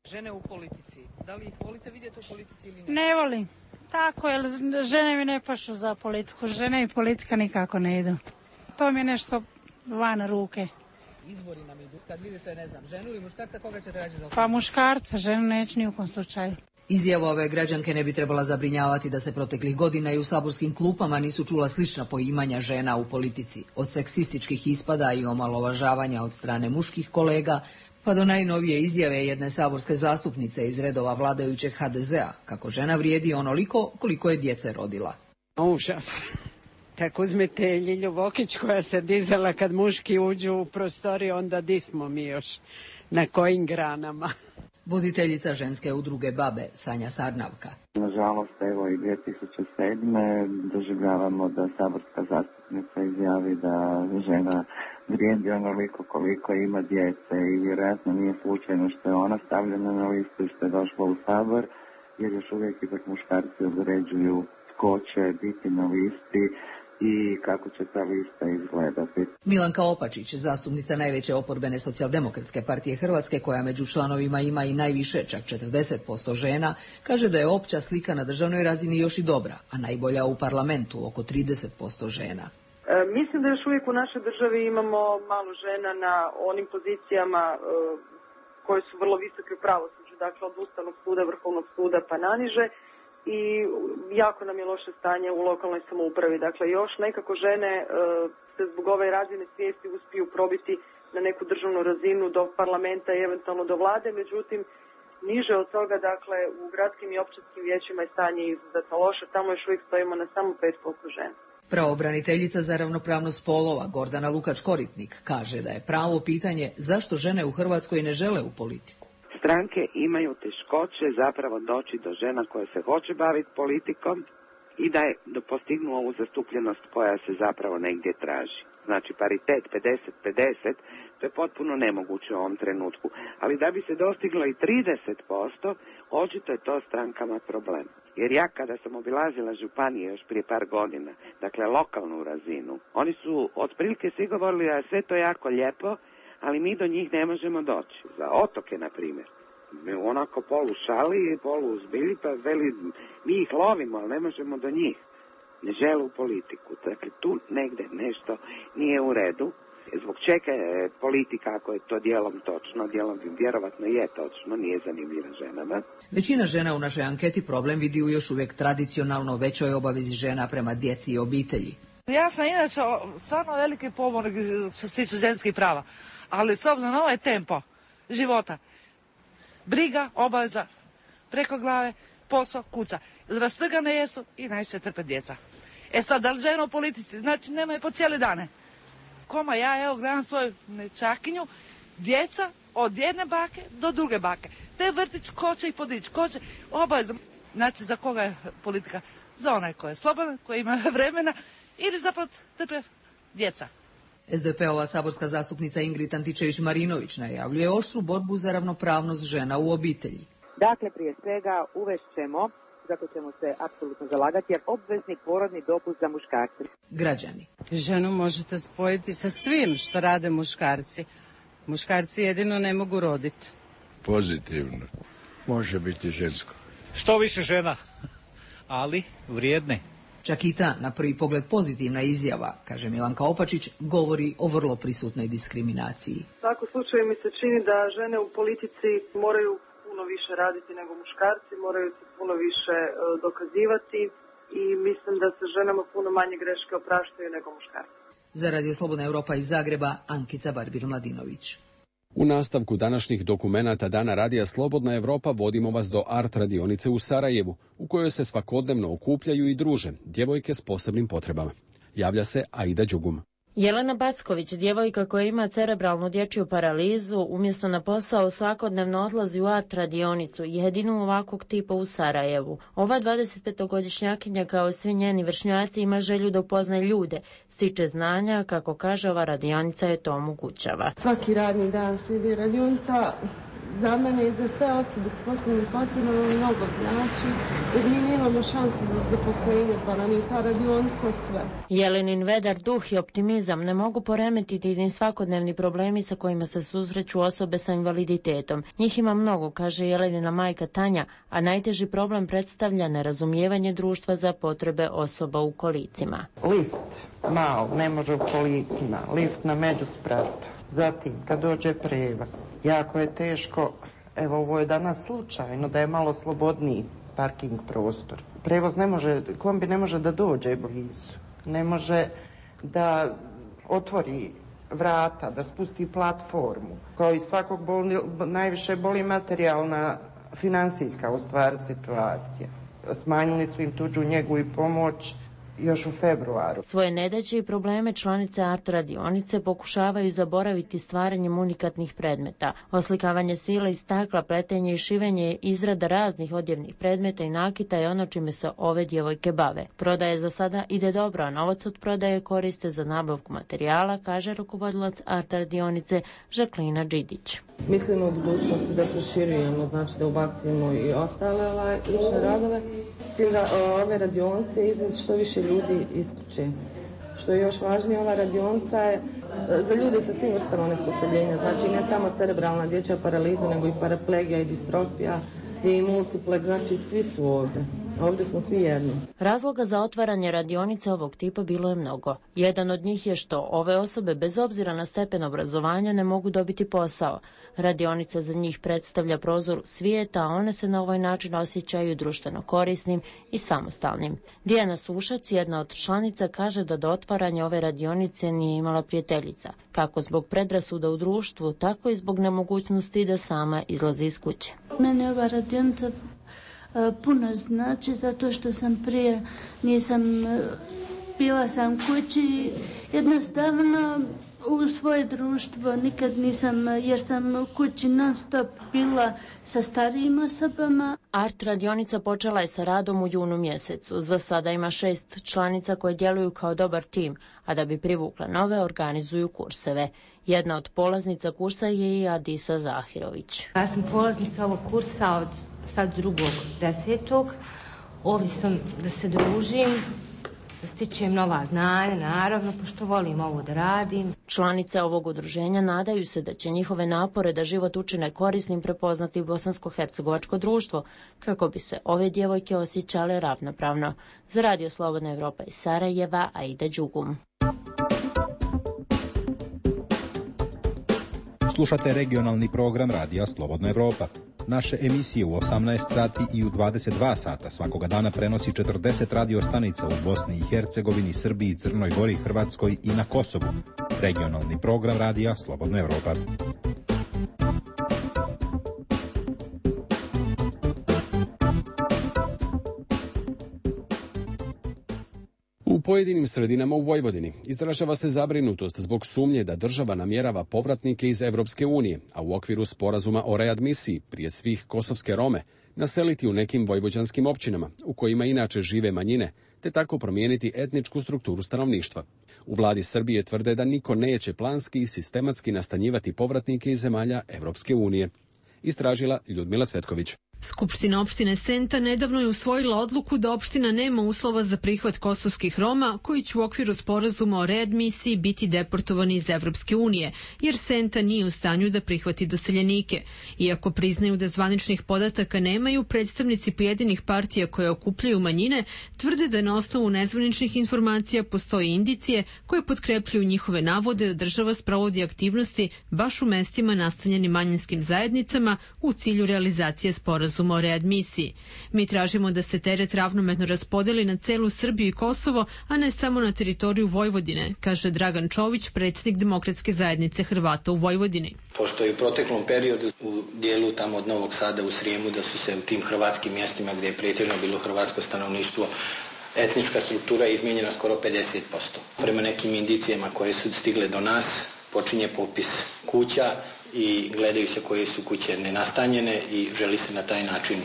Žene u politici, da li ih volite vidjeti u politici ili ne? Ne volim. Tako, jer žene mi ne pašu za politiku. Žene i politika nikako ne idu. To mi je nešto van ruke. Izbori nam idu. Kad vidite, ne znam, ženu ili muškarca, koga ćete rađe za? Pa muškarca, ženu neću ni u kom slučaju. Izjava ove građanke ne bi trebala zabrinjavati da se proteklih godina i u saborskim klupama nisu čula slična poimanja žena u politici. Od seksističkih ispada i omalovažavanja od strane muških kolega, pa do najnovije izjave jedne saborske zastupnice iz redova vladajućeg HDZ-a, kako žena vrijedi onoliko koliko je djece rodila. Užas. Tako uzmete Ljilju Vokić koja se dizala kad muški uđu u prostoriju, onda di smo mi još, na kojim granama. Voditeljica ženske udruge Babe, Sanja Sarnavka. Nažalost, evo i 2007. doživljavamo da saborska zastupnica izjavi da žena vrijedi onoliko koliko ima djece i vjerojatno nije slučajno što je ona stavljena na listu i što je došla u Sabor, jer još uvijek ipak muškarci određuju tko će biti na listi i kako će ta lista izgledati. Milanka Opačić, zastupnica najveće oporbene socijaldemokratske partije Hrvatske, koja među članovima ima i najviše, čak 40% žena, kaže da je opća slika na državnoj razini još i dobra, a najbolja u parlamentu, oko 30% žena. Mislim da još uvijek u našoj državi imamo malo žena na onim pozicijama koje su vrlo visoke u pravosuđu, dakle od Ustavnog suda, Vrhovnog suda pa naniže. I jako nam je loše stanje u lokalnoj samoupravi. Dakle, još nekako žene se zbog ove razine svijesti uspiju probiti na neku državnu razinu do parlamenta i eventualno do vlade, međutim, niže od toga, dakle, u gradskim i općinskim vijećima je stanje izuzetno loše, tamo još uvijek stojimo na samo 5% žena. Pravobraniteljica za ravnopravnost spolova Gordana Lukač-Koritnik kaže da je pravo pitanje zašto žene u Hrvatskoj ne žele u politiku. Stranke imaju teškoće zapravo doći do žena koje se hoće baviti politikom i da postignu ovu zastupljenost koja se zapravo negdje traži. znači paritet 50-50, to je potpuno nemoguće u ovom trenutku. Ali da bi se dostiglo i 30%, očito je to strankama problem. Jer ja kada sam obilazila županije još prije par godina, dakle lokalnu razinu, oni su otprilike svi govorili da je sve to jako lijepo, ali mi do njih ne možemo doći. Za otoke, na primjer. Onako polu šali, polu uzbilji, pa veli, mi ih lovimo, ali ne možemo do njih. Ne žele u politiku. Dakle, tu negde nešto nije u redu. Zbog čega je politika, ako je to dijelom točno, dijelom vjerovatno je točno, nije zanimljiva ženama. Većina žena u našoj anketi problem vidi u još uvijek tradicionalno većoj obavezi žena prema djeci i obitelji. Ja sam inače stvarno veliki pobornik što se tiče ženskih prava, ali s obzirom na ovaj tempo života, briga, obaveza, preko glave, posao, kuća. Rastrgane jesu i najčešće trpe djeca. E sad, da li žena u politici? Znači, nema je po cijeli dane. Koma, ja evo gledam svoju nečakinju, djeca od jedne bake do druge bake. Te vrtić, ko će ih podići, ko će, obaveza. Znači, za koga je politika? Za onaj koji je slobodan, koji ima vremena ili zapravo trpe djeca. SDP-ova saborska zastupnica Ingrid Antičević-Marinović najavljuje oštru borbu za ravnopravnost žena u obitelji. Dakle, prije svega uvešćemo, zato ćemo se apsolutno zalagati, jer obvezni porodni dopust za muškarce. Građani. Ženu možete spojiti sa svim što rade muškarci. Muškarci jedino ne mogu roditi. Pozitivno. Može biti žensko. Što više žena, ali vrijedne. Čak i ta, na prvi pogled pozitivna izjava, kaže Milanka Opačić, govori o vrlo prisutnoj diskriminaciji. U svakom slučaju mi se čini da žene u politici moraju puno više raditi nego muškarci, moraju se puno više dokazivati i mislim da se ženama puno manje greške opraštaju nego muškarci. Za Radio Slobodna Europa iz Zagreba, Ankica Barbir-Mladinović. U nastavku današnjih dokumenata Dana Radija Slobodna Europa vodimo vas do art radionice u Sarajevu, u kojoj se svakodnevno okupljaju i druže djevojke s posebnim potrebama. Javlja se Aida Đugum. Jelena Backović, djevojka koja ima cerebralnu dječju paralizu, umjesto na posao svakodnevno odlazi u art radionicu, jedinu ovakvog tipa u Sarajevu. Ova 25-godišnjakinja kao i svi njeni vršnjaci ima želju da upoznaje ljude, stiče znanja, kako kaže ova radionica je to omogućava. Svaki radni dan slijedi radionica. Za mene i za sve osobe s posebnim potrebama mnogo znači, jer mi nemamo šansu za zaposlenje, pa nam je ta radionica sve. Jelenin vedar duh i optimizam ne mogu poremetiti ni svakodnevni problemi sa kojima se susreću osobe sa invaliditetom. Njih ima mnogo, kaže Jelenina majka Tanja, a najteži problem predstavlja nerazumijevanje društva za potrebe osoba u kolicima. Lift mal ne može u kolicima, lift na međuspratu. Zatim, kad dođe prevoz, jako je teško, evo ovo je danas slučajno, da je malo slobodniji parking prostor. Prevoz ne može, kombi ne može da dođe blizu, ne može da otvori vrata, da spusti platformu. Kao i svakog najviše boli materijalna, finansijska u stvari situacija. Smanjili su im tuđu njegu i pomoć još u februaru. Svoje nedaće i probleme članice art radionice pokušavaju zaboraviti stvaranjem unikatnih predmeta. Oslikavanje svila i stakla, pletenje i šivenje, izrada raznih odjevnih predmeta i nakita je ono čime se ove djevojke bave. Prodaje za sada ide dobro, a novac od prodaje koriste za nabavku materijala, kaže rukovodilac art radionice Žaklina Đidić. Mislimo u budućnosti da proširujemo, znači da ubacujemo i ostale lične radove. Cilj ove radionice je izvesti što više ljudi iz kuće. Što je još važnije, ova radionica je za ljude sa svim vrstama onesposobljenja, znači ne samo cerebralna dječja paraliza, nego i paraplegija i distrofija i multiplex, znači svi su ovdje. Ovdje smo svi jedno. Razloga za otvaranje radionice ovog tipa bilo je mnogo. Jedan od njih je što ove osobe bez obzira na stepen obrazovanja ne mogu dobiti posao. Radionica za njih predstavlja prozor svijeta, a one se na ovaj način osjećaju društveno korisnim i samostalnim. Dijana Sušac, jedna od članica, kaže da do otvaranja ove radionice nije imala prijateljica, kako zbog predrasuda u društvu, tako i zbog nemogućnosti da sama izlazi iz kuće. Mene ova radionica puno znači, zato što sam prije bila sam kući, jednostavno u svoje društvo nikad nisam, jer sam u kući non stop bila sa starijim osobama. Art radionica počela je sa radom u junu mjesecu. Za sada ima 6 članica koje djeluju kao dobar tim, a da bi privukla nove organizuju kurseve. Jedna od polaznica kursa je i Adisa Zahirović. Ja sam polaznica ovog kursa od sad 2.10. Ovdje sam da se družim, da stičem nova znanja, naravno, pošto volim ovo da radim. Članice ovog udruženja nadaju se da će njihove napore da život učine korisnim prepoznati bosansko-hercegovačko društvo, kako bi se ove djevojke osjećale ravnopravno. Za Radio Slobodna Evropa iz Sarajeva, Aida Đugum. Slušate regionalni program Radija Slobodna Evropa. Naše emisije u 18 sati i u 22 sata svakoga dana prenosi 40 radio stanica u Bosni i Hercegovini, Srbiji, Crnoj Gori, Hrvatskoj i na Kosovu. Regionalni program Radija Slobodna Evropa. U pojedinim sredinama u Vojvodini izražava se zabrinutost zbog sumnje da država namjerava povratnike iz Evropske unije, a u okviru sporazuma o readmisiji, prije svih kosovske Rome, naseliti u nekim vojvođanskim općinama, u kojima inače žive manjine, te tako promijeniti etničku strukturu stanovništva. U vladi Srbije tvrde da niko neće planski i sistematski nastanjivati povratnike iz zemalja Evropske unije. Istražila Ljudmila Cvetković. Skupština opštine Senta nedavno je usvojila odluku da opština nema uslova za prihvat kosovskih Roma koji će u okviru sporazuma o readmisiji biti deportovani iz Evropske unije, jer Senta nije u stanju da prihvati doseljenike. Iako priznaju da zvaničnih podataka nemaju, predstavnici pojedinih partija koje okupljaju manjine tvrde da na osnovu nezvaničnih informacija postoje indicije koje potkrepljuju njihove navode da država sprovodi aktivnosti baš u mestima nastanjenim manjinskim zajednicama u cilju realizacije sporazuma o readmisiji. Mi tražimo da se teret ravnomerno raspodeli na celu Srbiju i Kosovo, a ne samo na teritoriju Vojvodine, kaže Dragan Čović, predsjednik Demokratske zajednice Hrvata u Vojvodini. Pošto je u proteklom periodu u dijelu tamo od Novog Sada u Srijemu da su se u tim hrvatskim mjestima gdje je pretežno bilo hrvatsko stanovništvo etnička struktura izmijenjena skoro 50%. Prema nekim indicijama koje su stigle do nas počinje popis kuća i gledaju se koje su kuće nenastanjene i želi se na taj način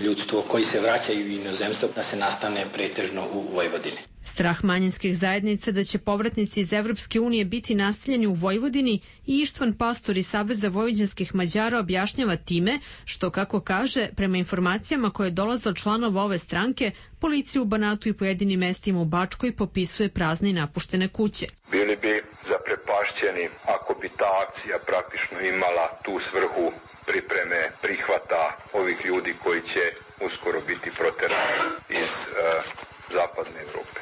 ljudstvo koji se vraćaju u inozemstvo da se nastane pretežno u Vojvodini. Strah manjinskih zajednica da će povratnici iz Evropske unije biti naseljeni u Vojvodini i Ištvan Pastor iz Saveza vojvođanskih Mađara objašnjava time što, kako kaže, prema informacijama koje dolaze od članova ove stranke, policija u Banatu i pojedinim mestima u Bačkoj popisuje prazne i napuštene kuće. Bili bi zaprepašćeni ako bi ta akcija praktično imala tu svrhu pripreme prihvata ovih ljudi koji će uskoro biti proterani iz zapadne Evrope.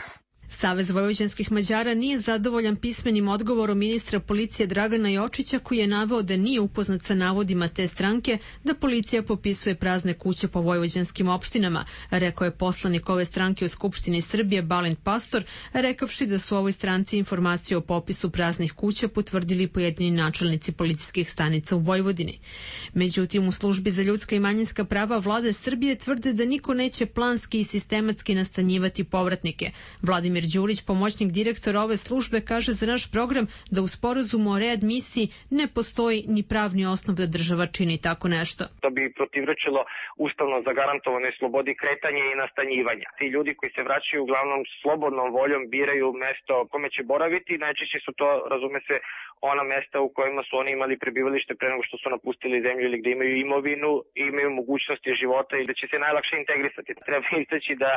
Savez vojvođanskih Mađara nije zadovoljan pismenim odgovorom ministra policije Dragana Jočića, koji je naveo da nije upoznat sa navodima te stranke da policija popisuje prazne kuće po vojvođanskim opštinama, rekao je poslanik ove stranke u Skupštini Srbije Balint Pastor, rekavši da su ovoj stranci informaciju o popisu praznih kuća potvrdili pojedini načelnici policijskih stanica u Vojvodini. Međutim, u službi za ljudska i manjinska prava vlade Srbije tvrde da niko neće planski i sistematski nastanjivati povratnike. Vladimir Đurić, pomoćnik direktora ove službe, kaže za naš program da u sporazumu o readmisiji ne postoji ni pravni osnov da država čini tako nešto. To bi protivrečilo ustavno zagarantovanoj slobodi kretanja i nastanjivanja. Ti ljudi koji se vraćaju uglavnom slobodnom voljom biraju mesto kome će boraviti, najčešće su to, razume se, ona mesta u kojima su oni imali prebivalište pre nego što su napustili zemlju ili gde imaju imovinu i imaju mogućnosti života i da će se najlakše integrisati. Treba istaći da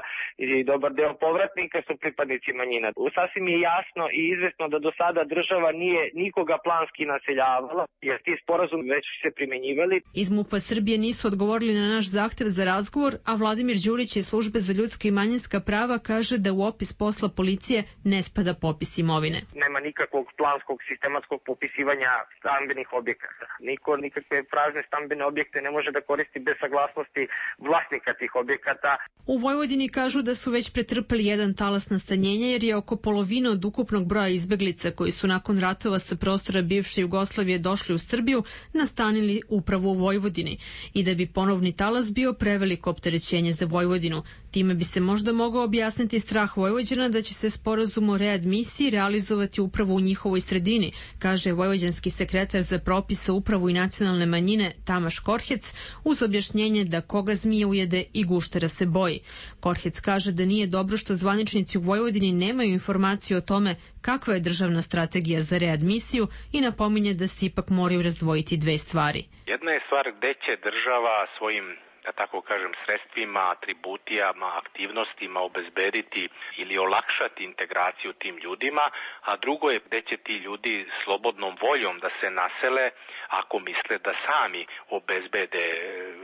i dobar deo povratnika su pripadnici manjina. Sasvim je jasno i izvesno da do sada država nije nikoga planski naseljavala, jer ti sporazum već se primenjivali. Iz MUP-a Srbije nisu odgovorili na naš zahtev za razgovor, a Vladimir Đurić iz službe za ljudska i manjinska prava kaže da u opis posla policije ne spada popis imovine. Nema nikakvog planskog sistematskog popisivanja stambenih objekata. Niko nikakve prazne stambene objekte ne može da koristi bez saglasnosti vlasnika tih objekata. U Vojvodini kažu da su već pretrpeli jedan talas nastanjenja, jer je oko polovine od ukupnog broja izbeglica koji su nakon ratova sa prostora bivše Jugoslavije došli u Srbiju nastanili upravo u Vojvodini i da bi ponovni talas bio preveliko opterećenje za Vojvodinu. Time bi se možda mogao objasniti strah Vojvođana da će se sporazum o readmisiji realizovati upravo u njihovoj sredini, kaže vojvođanski sekretar za propise, upravu i nacionalne manjine Tamaš Korhec, uz objašnjenje da koga zmija ujede i guštera se boji. Korhec kaže da nije dobro što zvaničnici u Vojvodini nemaju informaciju o tome kakva je državna strategija za readmisiju i napominje da se ipak moraju razdvojiti dve stvari. Jedna je stvar gde će država svojim, da tako kažem, sredstvima, atributijama, aktivnostima obezbediti ili olakšati integraciju tim ljudima, a drugo je gde će ti ljudi slobodnom voljom da se nasele ako misle da sami obezbede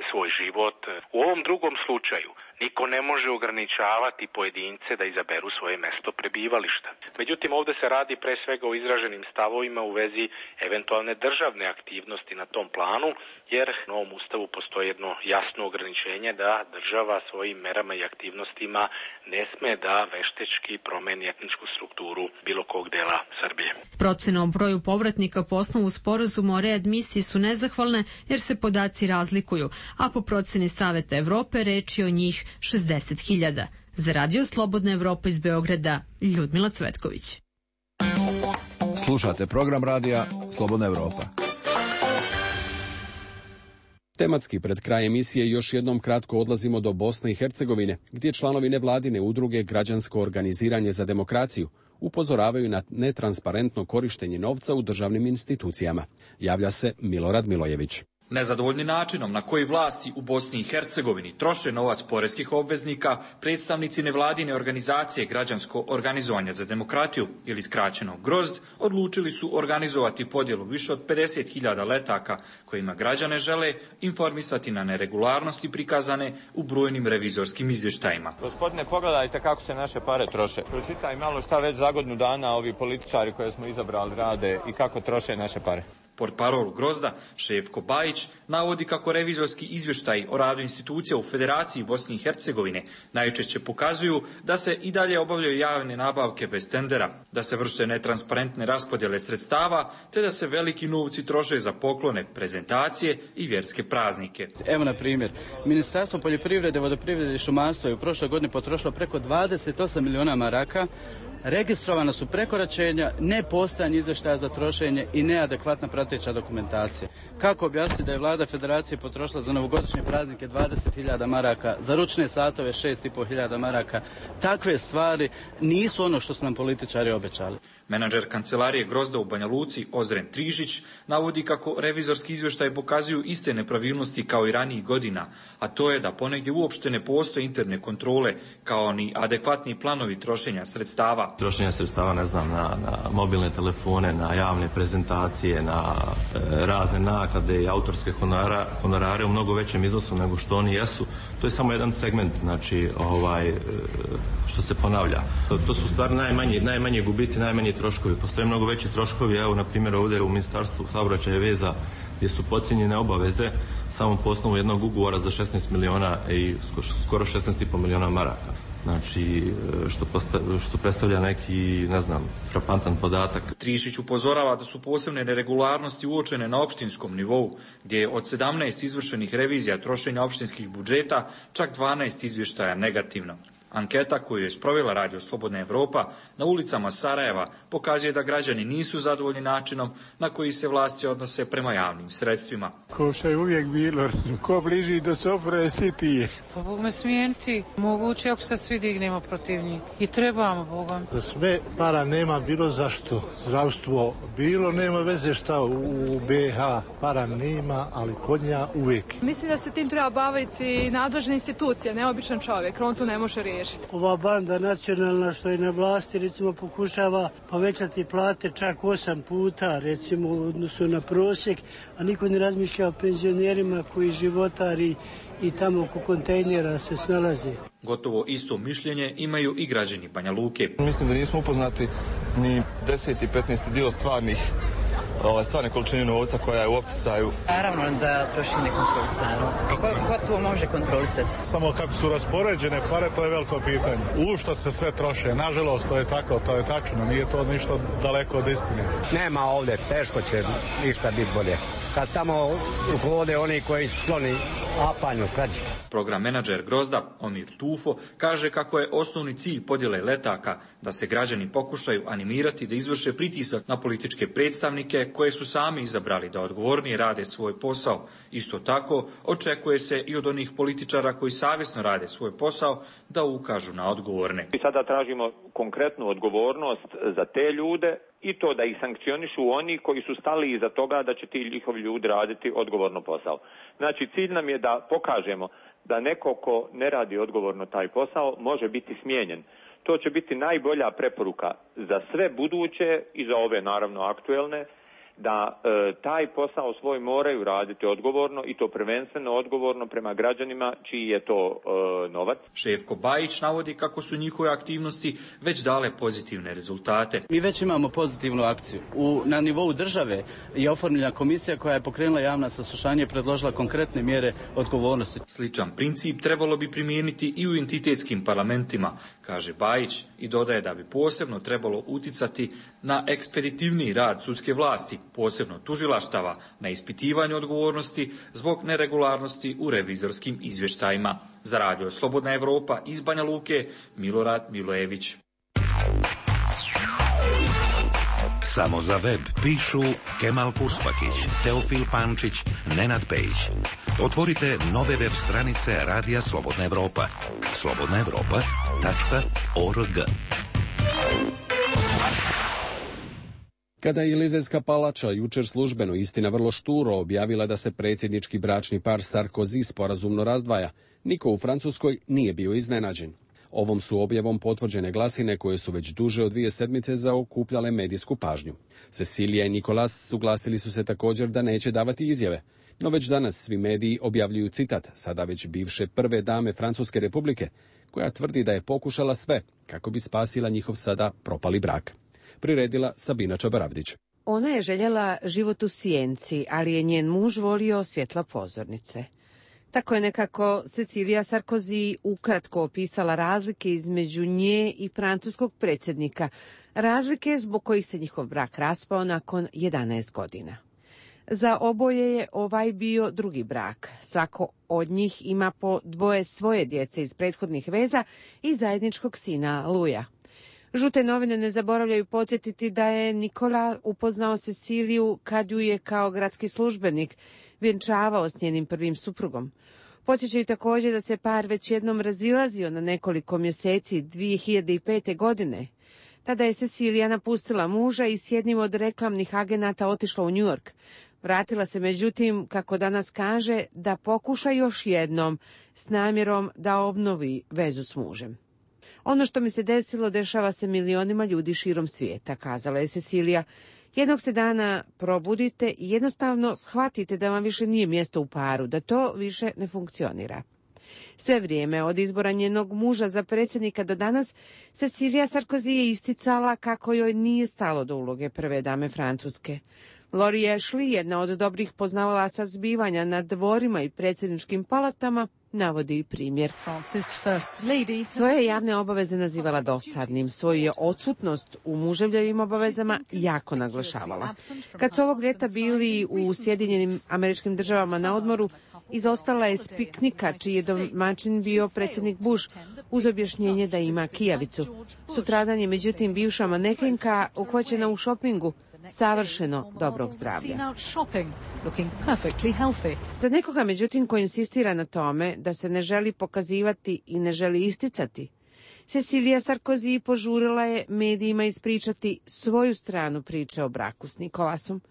svoj život. U ovom drugom slučaju niko ne može ograničavati pojedince da izaberu svoje mesto prebivališta. Međutim, ovde se radi pre svega o izraženim stavovima u vezi eventualne državne aktivnosti na tom planu, jer u novom ustavu postoji jedno jasno ograničenje da država svojim merama i aktivnostima ne sme da veštečki promeni etničku strukturu bilo kog dela Srbije. Procene o broju povratnika po osnovu sporazuma o readmisiji su nezahvalne jer se podaci razlikuju, a po proceni Saveta Evrope reč je o njih 60.000. Za Radio Slobodna Evropa iz Beograda, Ljudmila Cvetković. Slušate program radija Slobodna Evropa. Tematski pred kraj emisije još jednom kratko odlazimo do Bosne i Hercegovine, gdje članovi nevladine udruge Građansko organiziranje za demokraciju upozoravaju na netransparentno korištenje novca u državnim institucijama. Javlja se Milorad Milojević. Nezadovoljni načinom na koji vlasti u Bosni i Hercegovini troše novac poreskih obveznika, predstavnici nevladine organizacije Građansko organizovanje za demokratiju ili skraćeno GROZD odlučili su organizovati podjelu više od 50.000 letaka kojima građane žele informisati na neregularnosti prikazane u brojnim revizorskim izvještajima. Gospodine, pogledajte kako se naše pare troše. Pročitaj malo šta već za godinu dana ovi političari koje smo izabrali rade i kako troše naše pare. Portparol GROZD-a Šefko Bajić navodi kako revizorski izvještaji o radu institucija u Federaciji Bosne i Hercegovine najčešće pokazuju da se i dalje obavljaju javne nabavke bez tendera, da se vrše netransparentne raspodjele sredstava, te da se veliki novci troše za poklone, prezentacije i vjerske praznike. Evo na primjer, Ministarstvo poljoprivrede, vodoprivrede i šumarstva je u prošloj godini potrošilo preko 28 miliona maraka. Registrovana su prekoračenja, nepostojanje izvještaja za trošenje i neadekvatna prateća dokumentacija. Kako objasniti da je vlada Federacije potrošila za novogodišnje praznike 20.000 maraka, za ručne satove 6.500 maraka? Takve stvari nisu ono što su nam političari obećali. Menadžer kancelarije GROZD-a u Banja Luci, Ozren Trižić, navodi kako revizorski izvještaji pokazuju iste nepravilnosti kao i ranijih godina, a to je da ponegdje uopšte ne postoje interne kontrole, kao ni adekvatni planovi trošenja sredstava. Trošenja sredstava, ne znam, na mobilne telefone, na javne prezentacije, na razne naklade i autorske honorare u mnogo većem iznosu nego što oni jesu. To je samo jedan segment, znači, što se ponavlja. To su stvari najmanji gubici, najmanji troškovi. Postoje mnogo veći troškovi, evo, na primjer, ovdje u Ministarstvu saobraćaja i veza, gdje su podcijenjene obaveze samo po osnovu jednog ugovora za 16 miliona i skoro 16,5 miliona maraka. Znači, što predstavlja neki, ne znam, frapantan podatak. Trišić upozorava da su posebne neregularnosti uočene na opštinskom nivou, gdje je od 17 izvršenih revizija trošenja opštinskih budžeta čak 12 izvještaja negativno. Anketa koju je sprovela Radio Slobodna Evropa na ulicama Sarajeva pokazuje da građani nisu zadovoljni načinom na koji se vlasti odnose prema javnim sredstvima. Ko što je uvijek bilo, ko bliži do sofre sitije. Pa Bog me smijeniti, moguće ako se svi dignemo protiv njih. I trebamo Bogom. Za sve para nema bilo zašto. Zdravstvo bilo, nema veze šta u BiH para nema, ali kod nja uvijek. Mislim da se tim treba baviti nadležne institucije, ne običan čovjek, on to ne može riješiti. Ova banda nacionalna što je na vlasti, recimo, pokušava povećati plate čak 8 puta, recimo, u odnosu na prosjek, a niko ne razmišlja o penzionerima koji životari i tamo oko kontejnera se snalaze. Gotovo isto mišljenje imaju i građani Banja Luke. Mislim da nismo upoznati ni 10. i 15. dio stvarne količine novca koja je u opticaju. Naravno da troši nekontrolisano. Ko to može kontrolisati? Samo kako su raspoređene pare, to je veliko pitanje. U što se sve troše, nažalost to je tako, to je tačno, nije to ništa daleko od istine. Nema ovdje, teško će ništa biti bolje. Kad tamo hode oni koji su skloni apanju krađi. Program menadžer Grozda Omir Tufo kaže kako je osnovni cilj podjele letaka da se građani pokušaju animirati da izvrše pritisak na političke predstavnike koje su sami izabrali da odgovornije rade svoj posao. Isto tako očekuje se i od onih političara koji savjesno rade svoj posao da ukažu na odgovorne. Mi sada tražimo konkretnu odgovornost za te ljude i to da ih sankcionišu oni koji su stali iza toga da će ti njihovi ljudi raditi odgovorno posao. Znači, cilj nam je da pokažemo da neko ko ne radi odgovorno taj posao može biti smijenjen. To će biti najbolja preporuka za sve buduće i za ove naravno aktuelne, da taj posao svoj moraju raditi odgovorno i to prvenstveno odgovorno prema građanima čiji je to novac. Šefko Bajić navodi kako su njihove aktivnosti već dale pozitivne rezultate. Mi već imamo pozitivnu akciju. Na nivou države je oformljena komisija koja je pokrenula javna saslušanja i predložila konkretne mjere odgovornosti. Sličan princip trebalo bi primijeniti i u entitetskim parlamentima, kaže Bajić, i dodaje da bi posebno trebalo uticati na ekspeditivniji rad sudske vlasti, posebno tužilaštava, na ispitivanju odgovornosti zbog neregularnosti u revizorskim izvještajima. Za Radio Slobodna Evropa iz Banja Luke, Milorad Milojević. Samo za web pišu Kemal Purspakić, Teofil Pančić, Nenad Pejić. Otvorite nove web stranice Radija Slobodna Evropa. slobodnaevropa.org. Kada je Elizejska palača jučer službeno, istina vrlo šturo, objavila da se predsjednički bračni par Sarkozy sporazumno razdvaja, niko u Francuskoj nije bio iznenađen. Ovom su objavom potvrđene glasine koje su već duže od 2 sedmice zaokupljale medijsku pažnju. Cecilija i Nikolas suglasili su se također da neće davati izjave, no već danas svi mediji objavljuju citat, sada već bivše prve dame Francuske republike, koja tvrdi da je pokušala sve kako bi spasila njihov sada propali brak. Priredila Sabina Čabaravdić. Ona je željela život u sjenci, ali je njen muž volio svjetla pozornice. Tako je nekako Cecilija Sarkozy ukratko opisala razlike između nje i francuskog predsjednika, razlike zbog kojih se njihov brak raspao nakon 11 godina. Za oboje je ovaj bio drugi brak. Svako od njih ima po 2 svoje djece iz prethodnih veza i zajedničkog sina Luja. Žute novine ne zaboravljaju podsjetiti da je Nikola upoznao Ceciliju kad ju je kao gradski službenik vjenčavao s njenim prvim suprugom. Podsjećaju također da se par već jednom razilazio na nekoliko mjeseci 2005. godine. Tada je Cecilija napustila muža i s jednim od reklamnih agenata otišla u New York. Vratila se međutim, kako danas kaže, da pokuša još jednom s namjerom da obnovi vezu s mužem. Ono što mi se desilo dešava se milionima ljudi širom svijeta, kazala je Cecilija. Jednog se dana probudite i jednostavno shvatite da vam više nije mjesto u paru, da to više ne funkcionira. Sve vrijeme od izbora njenog muža za predsjednika do danas, Cecilija Sarkozy je isticala kako joj nije stalo do uloge prve dame Francuske. Lori Ashley, jedna od dobrih poznavalaca zbivanja na dvorima i predsjedničkim palatama, navodi primjer. Svoje javne obaveze nazivala dosadnim, svoju je odsutnost u muževljevim obavezama jako naglašavala. Kad su ovog ljeta bili u Sjedinjenim Američkim Državama na odmoru, izostala je s piknika čiji je domaćin bio predsjednik Bush uz objašnjenje da ima kijavicu. Sutradan je međutim bivša manekenka uhvaćena u šopingu, savršeno dobrog zdravlja. Za nekoga, međutim, ko insistira na tome da se ne želi pokazivati i ne želi isticati, Cecilija Sarkozy požurila je medijima ispričati svoju stranu priče o braku s Nikolasom.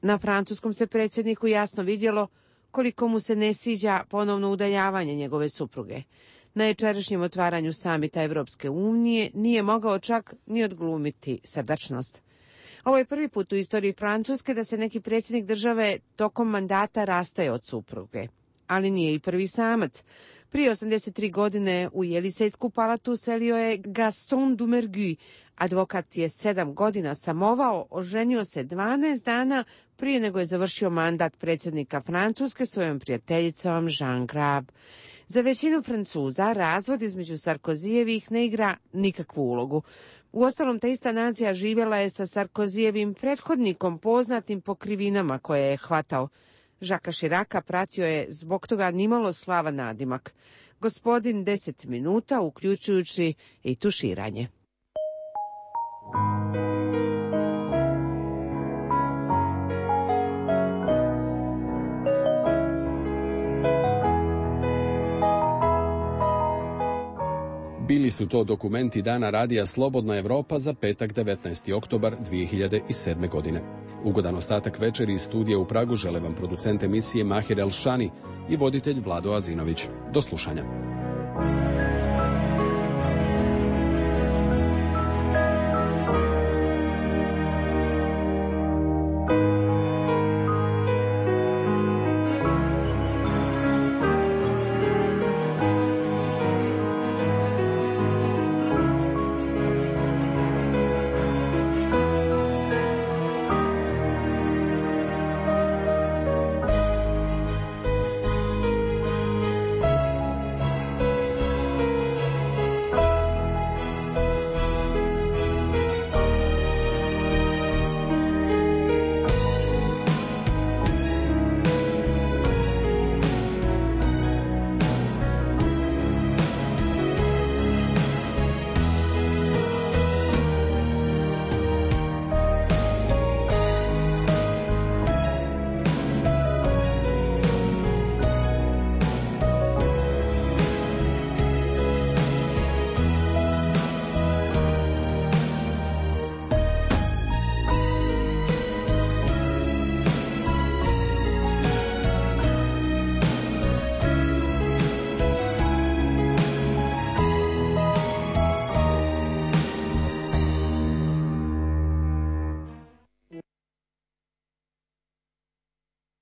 Na francuskom se predsjedniku jasno vidjelo koliko mu se ne sviđa ponovno udaljavanje njegove supruge. Na jučerašnjem otvaranju samita Evropske unije nije mogao čak ni odglumiti srdačnost. Ovo je prvi put u istoriji Francuske da se neki predsjednik države tokom mandata rastaje od supruge. Ali nije i prvi samac. Prije 83 godine u Jelisejsku palatu selio je Gaston Doumergue. Advokat je 7 godina samovao, oženio se 12 dana prije nego je završio mandat predsjednika Francuske svojom prijateljicom Jean Grab. Za većinu Francuza razvod između Sarkozijevih ne igra nikakvu ulogu. Uostalom, ta ista nacija živjela je sa Sarkozijevim prethodnikom poznatim po krivinama koje je hvatao. Žaka Širaka pratio je zbog toga nimalo slavan nadimak. Gospodin 10 minuta, uključujući i tuširanje. Bili su to dokumenti Dana radija Slobodna Evropa za petak 19. oktobar 2007. godine. Ugodan ostatak večeri iz studija u Pragu žele vam producent emisije Mahir Elšani i voditelj Vlado Azinović. Do slušanja.